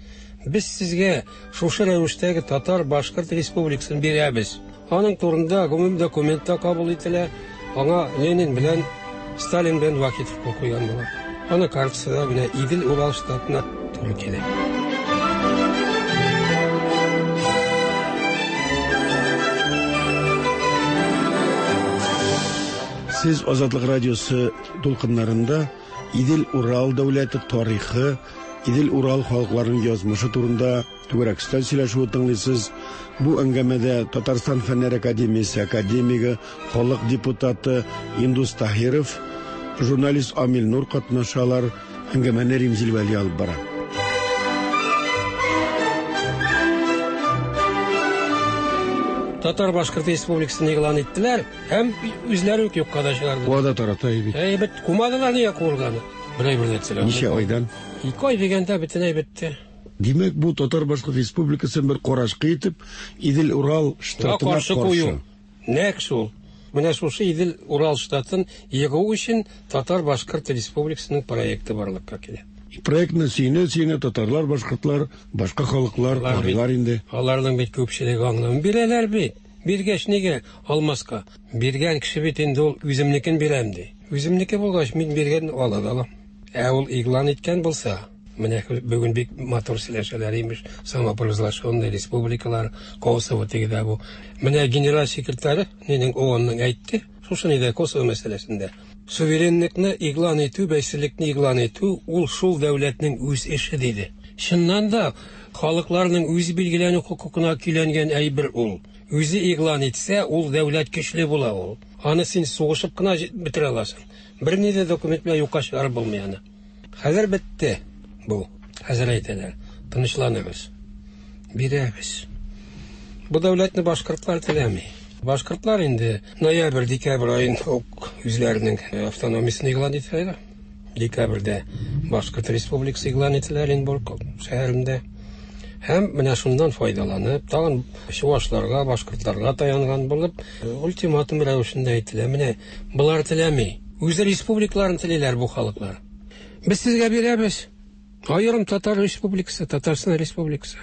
Без сезгә шушы рәвештәге Татар-Башкорт республикасын бирәбез. Аның турында гомум документта кабул ителә. Аңа Ленин белән Сталин белән Вахитов кул куйган була. Аны картасында менә Идел-Урал штатына туры килә. Сез Азатлык радиосы дулкыннарында Идел-Урал дәүләте тарихы, Идел-Урал халыкларының язмышы турында түгәрәк өстәл сөйләшүе тыңлыйсыз. Бу әңгәмәдә Татарстан Фәннәр академиясе академигы, халык депутаты Индус Таһиров, журналист Амил Нур катнашалар. Әңгәмәне Римзил Вәли алып бара. Татар-Башкорт республикасын игълан иттеләр һәм үзләре үк юкка да чыгардылар. Куа да тарата бит. Әйбәт, кумадылар нигә куылганы? Бер әйбер дә әйтсәләр. Ничә айдан? 2 ай дигәндә бөтенләй бетте. Димәк, бу Татар-Башкорт республикасын бер карашкы итеп, Идел-Урал штатына каршы кую. Нәкъ шул. Менә шушы Идел-Урал штатын егу өчен Татар-Башкорт республикасының проекты барлыкка килә. Проектны сөенә-сөенә татарлар, башкортлар, башка халыклар карыйлар инде. Аларның бит күпчелеге аңламый. Бирәләр бит. Биргәч нигә алмаска? Биргән кеше бит инде ул үземнекен бирәм ди. Үземнеке булгач, мин биргәнне ала да алам. Ә ул игълан иткән булса, менә бүген бик матур сөйләшәләр имеш, самопровозглашенные республикалар, Косово теге дә бу. Менә генераль секретаре нинең ООНның әйтте, шушы нидә Косово мәсьәләсендә. Суверенлыкны игълан итү, бәйсезлекне игълан итү ул шул дәүләтнең үз эше диде. Чыннан да халыкларның үз билгеләнү хокукына көйләнгән әйбер ул. Үзе игълан итсә, ул дәүләт көчле була ул. Аны син сугышып кына бетерә аласың. Берни дә документ белән юкка чыгарып булмый аны. Хәзер бетте. бу. Хәзер әйтәләр, тынычланыгыз. Бирәбез. Бу дәүләтне башкортлар теләми. Башкортлар инде ноябрь, декабрь аенда ук үзләренең автономиясен игълан итәләр. Декабрьдә Башкорт республикасы игълан ителә Оренбург шәһәрендә. Һәм менә шуннан файдаланып, тагын чувашларга, башкортларга таянган булып, ультиматум рәвешендә әйтелә. Менә болар теләми. Үз республикаларын телиләр бу халыклар. Без сезгә бирәбез. Аерым Татар республикасы, Татарстан республикасы.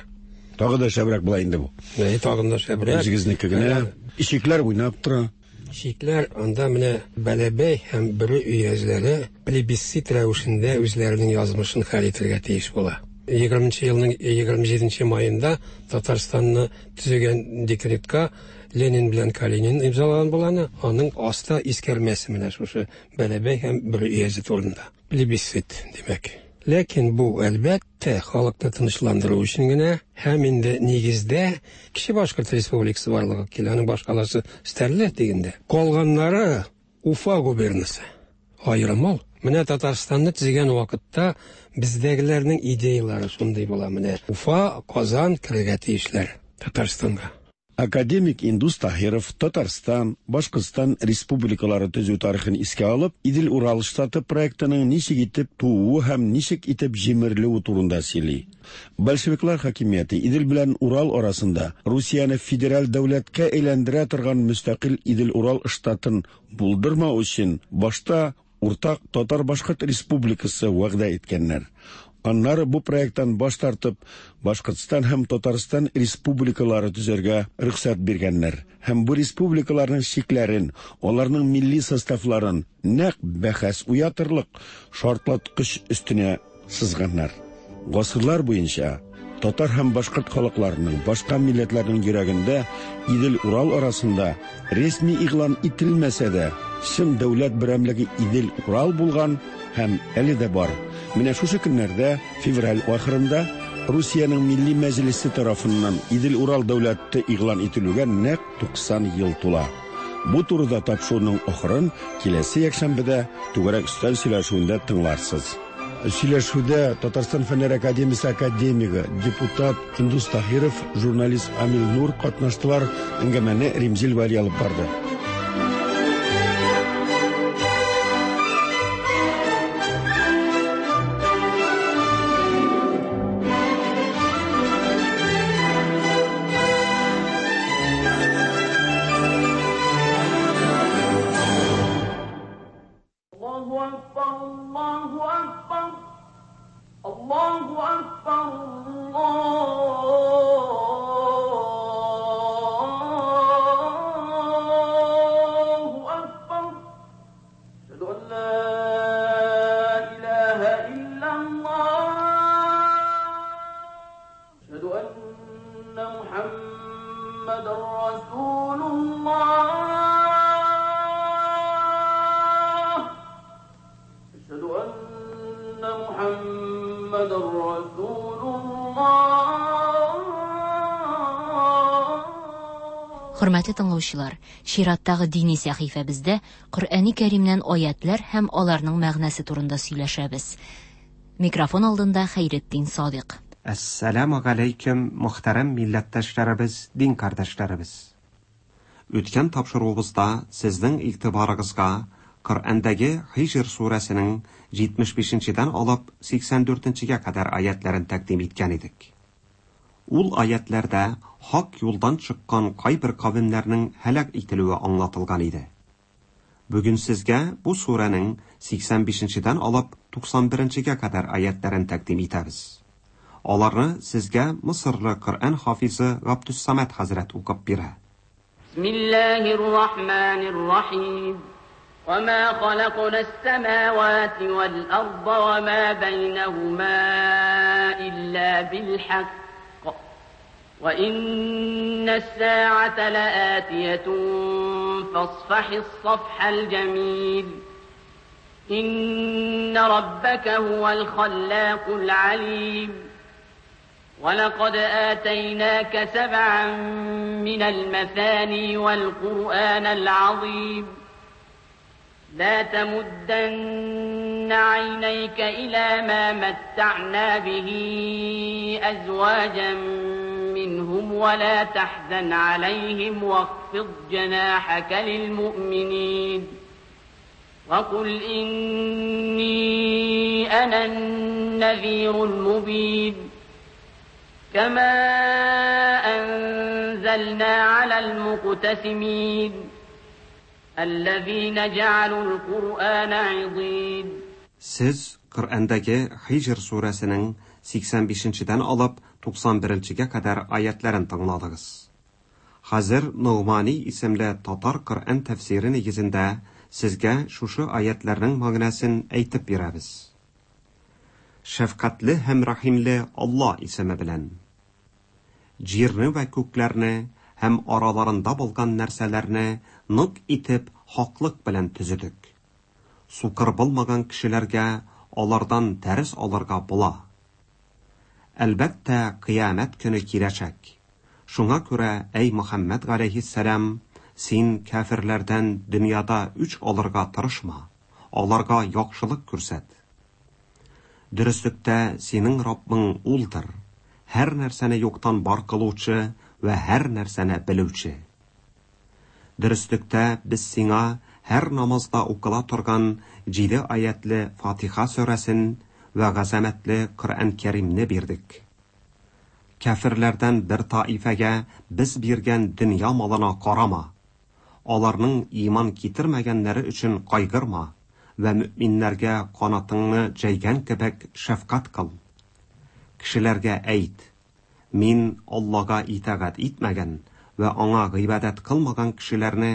Тагы да шәбрәк була инде бу. Әй, тагын да шәбрәк. Үзегезнеке генә. Ишекләр уйнап тора. Чикләр анда менә Бәләбәй һәм Бөре өязләре плебисцит рәвешендә үзләренең язмышын хәл итәргә тиеш була. 20 елның 27 маенда Татарстанны төзегән декретка Ленин белән Калинин имзалаган була аны. Аның аста искәрмәсе менә шушы Бәләбәй һәм Бөре өязе турында. Плебисцит, димәк. Ләкин бу, әлбәттә, халыкны тынычландыру өчен генә һәм инде нигездә Кече Башкорт Республикасы барлыкка килә, аның башкаласы Стәрле дигәндә. Калганнары Уфа губернасы. Аерым ул. Менә Татарстанны төзегән вакытта бездәгеләрнең идеялары шундый була. Менә Уфа, Казан керергә тиешләр Татарстанга. Академик Индус Таһиров Татарстан, Башкортстан республикалары төзү тарихын искә алып, Идел-Урал штаты проектының ничек итеп тууы һәм ничек итеп җимерелүе турында сөйли. Большевиклар хакимияте Идел белән Урал арасында Русияне федераль дәүләткә әйләндерә торган мөстәкыйль Идел-Урал штатын булдырмау өчен башта уртак Татар-Башкорт республикасы вәгъдә иткәннәр. Аннары бу проекттан баш тартып, Башкортстан һәм Татарстан республикалары төзергә рөхсәт биргәннәр һәм бу республикаларның чикләрен, аларның милли составларын нәкъ бәхәс уятырлык шартлаткыч өстенә сызганнар. Гасырлар буенча татар һәм башкорт халыкларының, башка милләтләрнең йөрәгендә Идел-Урал арасында рәсми игълан ителмәсә дә, чын дәүләт берәмлеге Идел-Урал булган һәм әле дә бар. Менә шушы көннәрдә, февраль ахырында, Русиянең Милли Мәҗлесе тарафыннан Идел-Урал дәүләте игълан ителүгә нәкъ 90 ел тула. Бу турыда тапшыруның ахырын киләсе якшәмбедә Түгәрәк өстәл сөйләшүендә тыңларсыз. Сөйләшүдә Татарстан Фәннәр академиясе академигы, депутат Индус Таһиров, журналист Амил Нур катнаштылар. Әңгәмәне Римзил Вәли алып барды. Хөрмәтле тыңлаучылар, чираттагы дини сәхифәбездә Коръәни Кәримнән аятлар һәм аларның мәгънәсе турында сөйләшәбез. Микрофон алдында Хәйретдин Садыйк. Әссәламү галәйкүм, мөхтәрәм милләттәшләребез, дин кардәшләребез! Үткән тапшыруыбызда сезнең игътибарыгызга Коръәндәге Һиҗр сүрәсенең 75 нчедән алып 84 нчегә кадәр аятьләрен тәкъдим иткән идек. Ул аятьләрдә хак юлдан чыккан кайбер кавемнәрнең һәлак ителүе аңлатылган иде. Бүген сезгә бу сүрәнең 85 нчедән алып 91 нчегә кадәр аятьләрен тәкъдим итәбез. Аларны сезгә Мысырлы Коръән хафизы Габдүссамәт хәзрәт укып бирә. Бисмиллаһир Рахманир Рахим. وما خلقنا السماوات والأرض وما بينهما إلا بالحق وإن الساعة لآتية فاصفح الصفح الجميل إن ربك هو الخلاق العليم ولقد آتيناك سبعا من المثاني والقرآن العظيم لا تمدن عينيك إلى ما متعنا به أزواجا منهم ولا تحزن عليهم واخفض جناحك للمؤمنين وقل إني أنا النذير المبين كما أنزلنا على المقتسمين الذين جعلوا القرآن عضين. Siz Qur'andagi Hijr surəsinin 85-dən alıb 91-гә кадәр аятларын тыңладыгыз. Хәзер Нугмани исемле татар Коръән тәфсире нигезендә сезгә шушы аятларның мәгънәсен әйтеп бирәбез. Шәфкатьле һәм рәхимле Алла исеме белән. Җирне вә күкләрне һәм араларында булган нәрсәләрне нык итеп хаклык белән төзедек. Сукыр булмаган кешеләргә алардан дәрес алырга була. Әлбәттә, кыямәт көне киләчәк. Шуңа күрә, әй Мөхәммәд галәйһиссәлам, син кәферләрдән дөньяда үч алырга тырышма, аларга яхшылык күрсәт. Дөреслектә синең Раббың улдыр, һәр нәрсәне юктан бар кылучы вә һәр нәрсәне белүче. Дөреслектә без сиңа һәр намазда укыла торган 7 аятлы Фатиха сүрәсен вә газамәтле Коръән Кәримне бирдек. Кәферләрдән бер таифәгә без биргән дөнья малына карама. Аларның иман китермәгәннәре өчен кайгырма вә мөэминнәргә канатыңны җәйгән кебек шәфкать кыл. Кешеләргә әйт: Мин Аллага итагать итмәгән вә аңа гыйбадәт кылмаган кешеләрне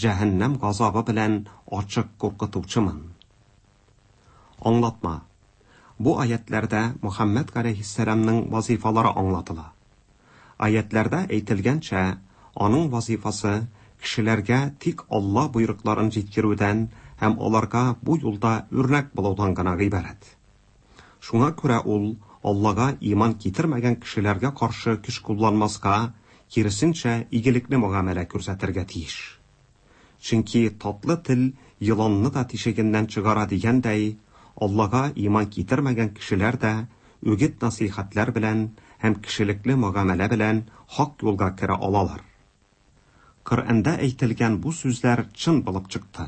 җәһәннәм газабы белән ачык куркытучымын. Аңлатма. Бу аятларда Мөхәммәд галәйһиссәламның вазифалары аңлатыла. Аятларда әйтелгәнчә, аның вазифасы кешеләргә тик Алла боерыкларын җиткерүдән һәм аларга бу юлда үрнәк булудан гына гыйбарәт. Шуңа күрә ул Аллага иман китермәгән кешеләргә каршы көч кулланмаска, киресенчә, игелекле мөгамәлә күрсәтергә тиеш. Чөнки татлы тел еланны да тишегеннән чыгара дигәндәй, Аллага иман китермәгән кешеләр дә үгет-насыйхәтләр белән һәм кешелекле мөгамәлә белән хак юлга керә алалар. Коръәндә әйтелгән бу сүзләр чын булып чыкты.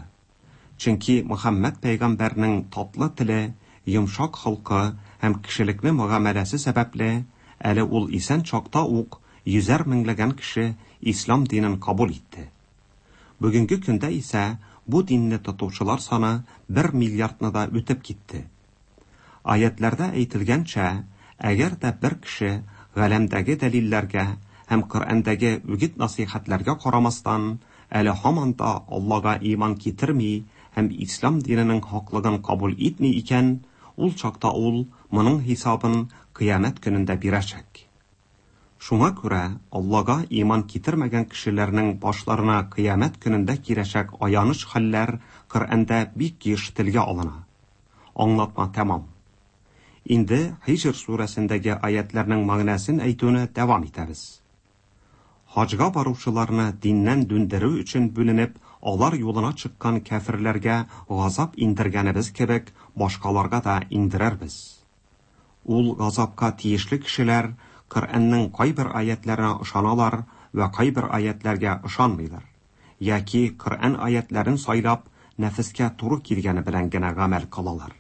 Чөнки Мөхәммәд пәйгамбәрнең татлы теле, йомшак холкы һәм кешелекле мөгамәләсе сәбәпле, әле ул исән чакта ук йөзәр меңләгән кеше ислам динен кабул итте. Бүгенге көндә исә бу динне тотучылар саны 1 миллиардны да үтеп китте. Аятларда әйтелгәнчә, әгәр дә бер кеше галәмдәге дәлилләргә һәм Коръәндәге үгет-насыйхәтләргә карамастан, әле һаман да Аллага иман китерми һәм ислам диненең хаклыгын кабул итми икән, ул чакта ул моның хисабын кыямәт көнендә бирәчәк. Шуңа күрә Аллага иман китермәгән кешеләрнең башларына кыямәт көнендә киләчәк аяныч хәлләр Коръәндә бик еш телгә алына. Аңлатма тәмам. Инде Һиҗр сүрәсендәге аятларның мәгънәсен әйтүне дәвам итәбез. Хаҗга баручыларны диннән дүндерү өчен бүленеп, алар юлына чыккан кәферләргә газап индергәнебез кебек, башкаларга да индерербез. Ул газапка тиешле кешеләр Коръәннең кайбер аятларына ышаналар вә кайбер аятларга ышанмыйлар. Яки Коръән аятларын сайлап, нәфескә туры килгәне белән генә гамәл кылалар.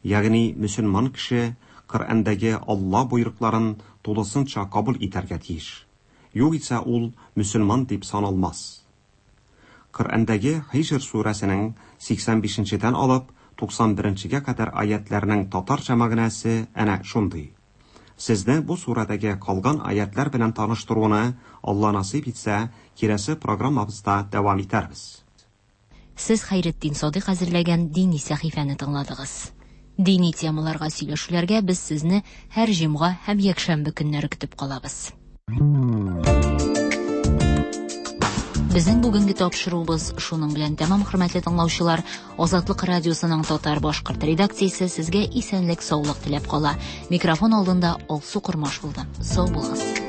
Ягъни мөселман кеше Коръәндәге Алла боерыкларын тулысынча кабул итәргә тиеш. Югыйсә ул мөселман дип саналмас. Коръәндәге Һиҗр сүрәсенең 85-дән алып 91-гә кадәр аятларның татарча мәгънәсе әнә шундый. Сезне бу сүрәдәге калган аятлар белән таныштыруны Алла насыйп итсә, киләсе программабызда дәвам итәрбез. Сез Хәйретдин Садыйк әзерләгән дини сәхифәне тыңладыгыз. Дини темаларга сөйләшүләргә без сезне һәр җомга һәм якшәмбе көннәре көтеп калабыз. Безнең бүгенге тапшыруыбыз шуның белән тәмам, хөрмәтле тыңлаучылар. Азатлык радиосының татар башкорт редакциясе сезгә исәнлек, саулык теләп кала. Микрофон алдында Алсу Кормаш булды. Сау булыгыз.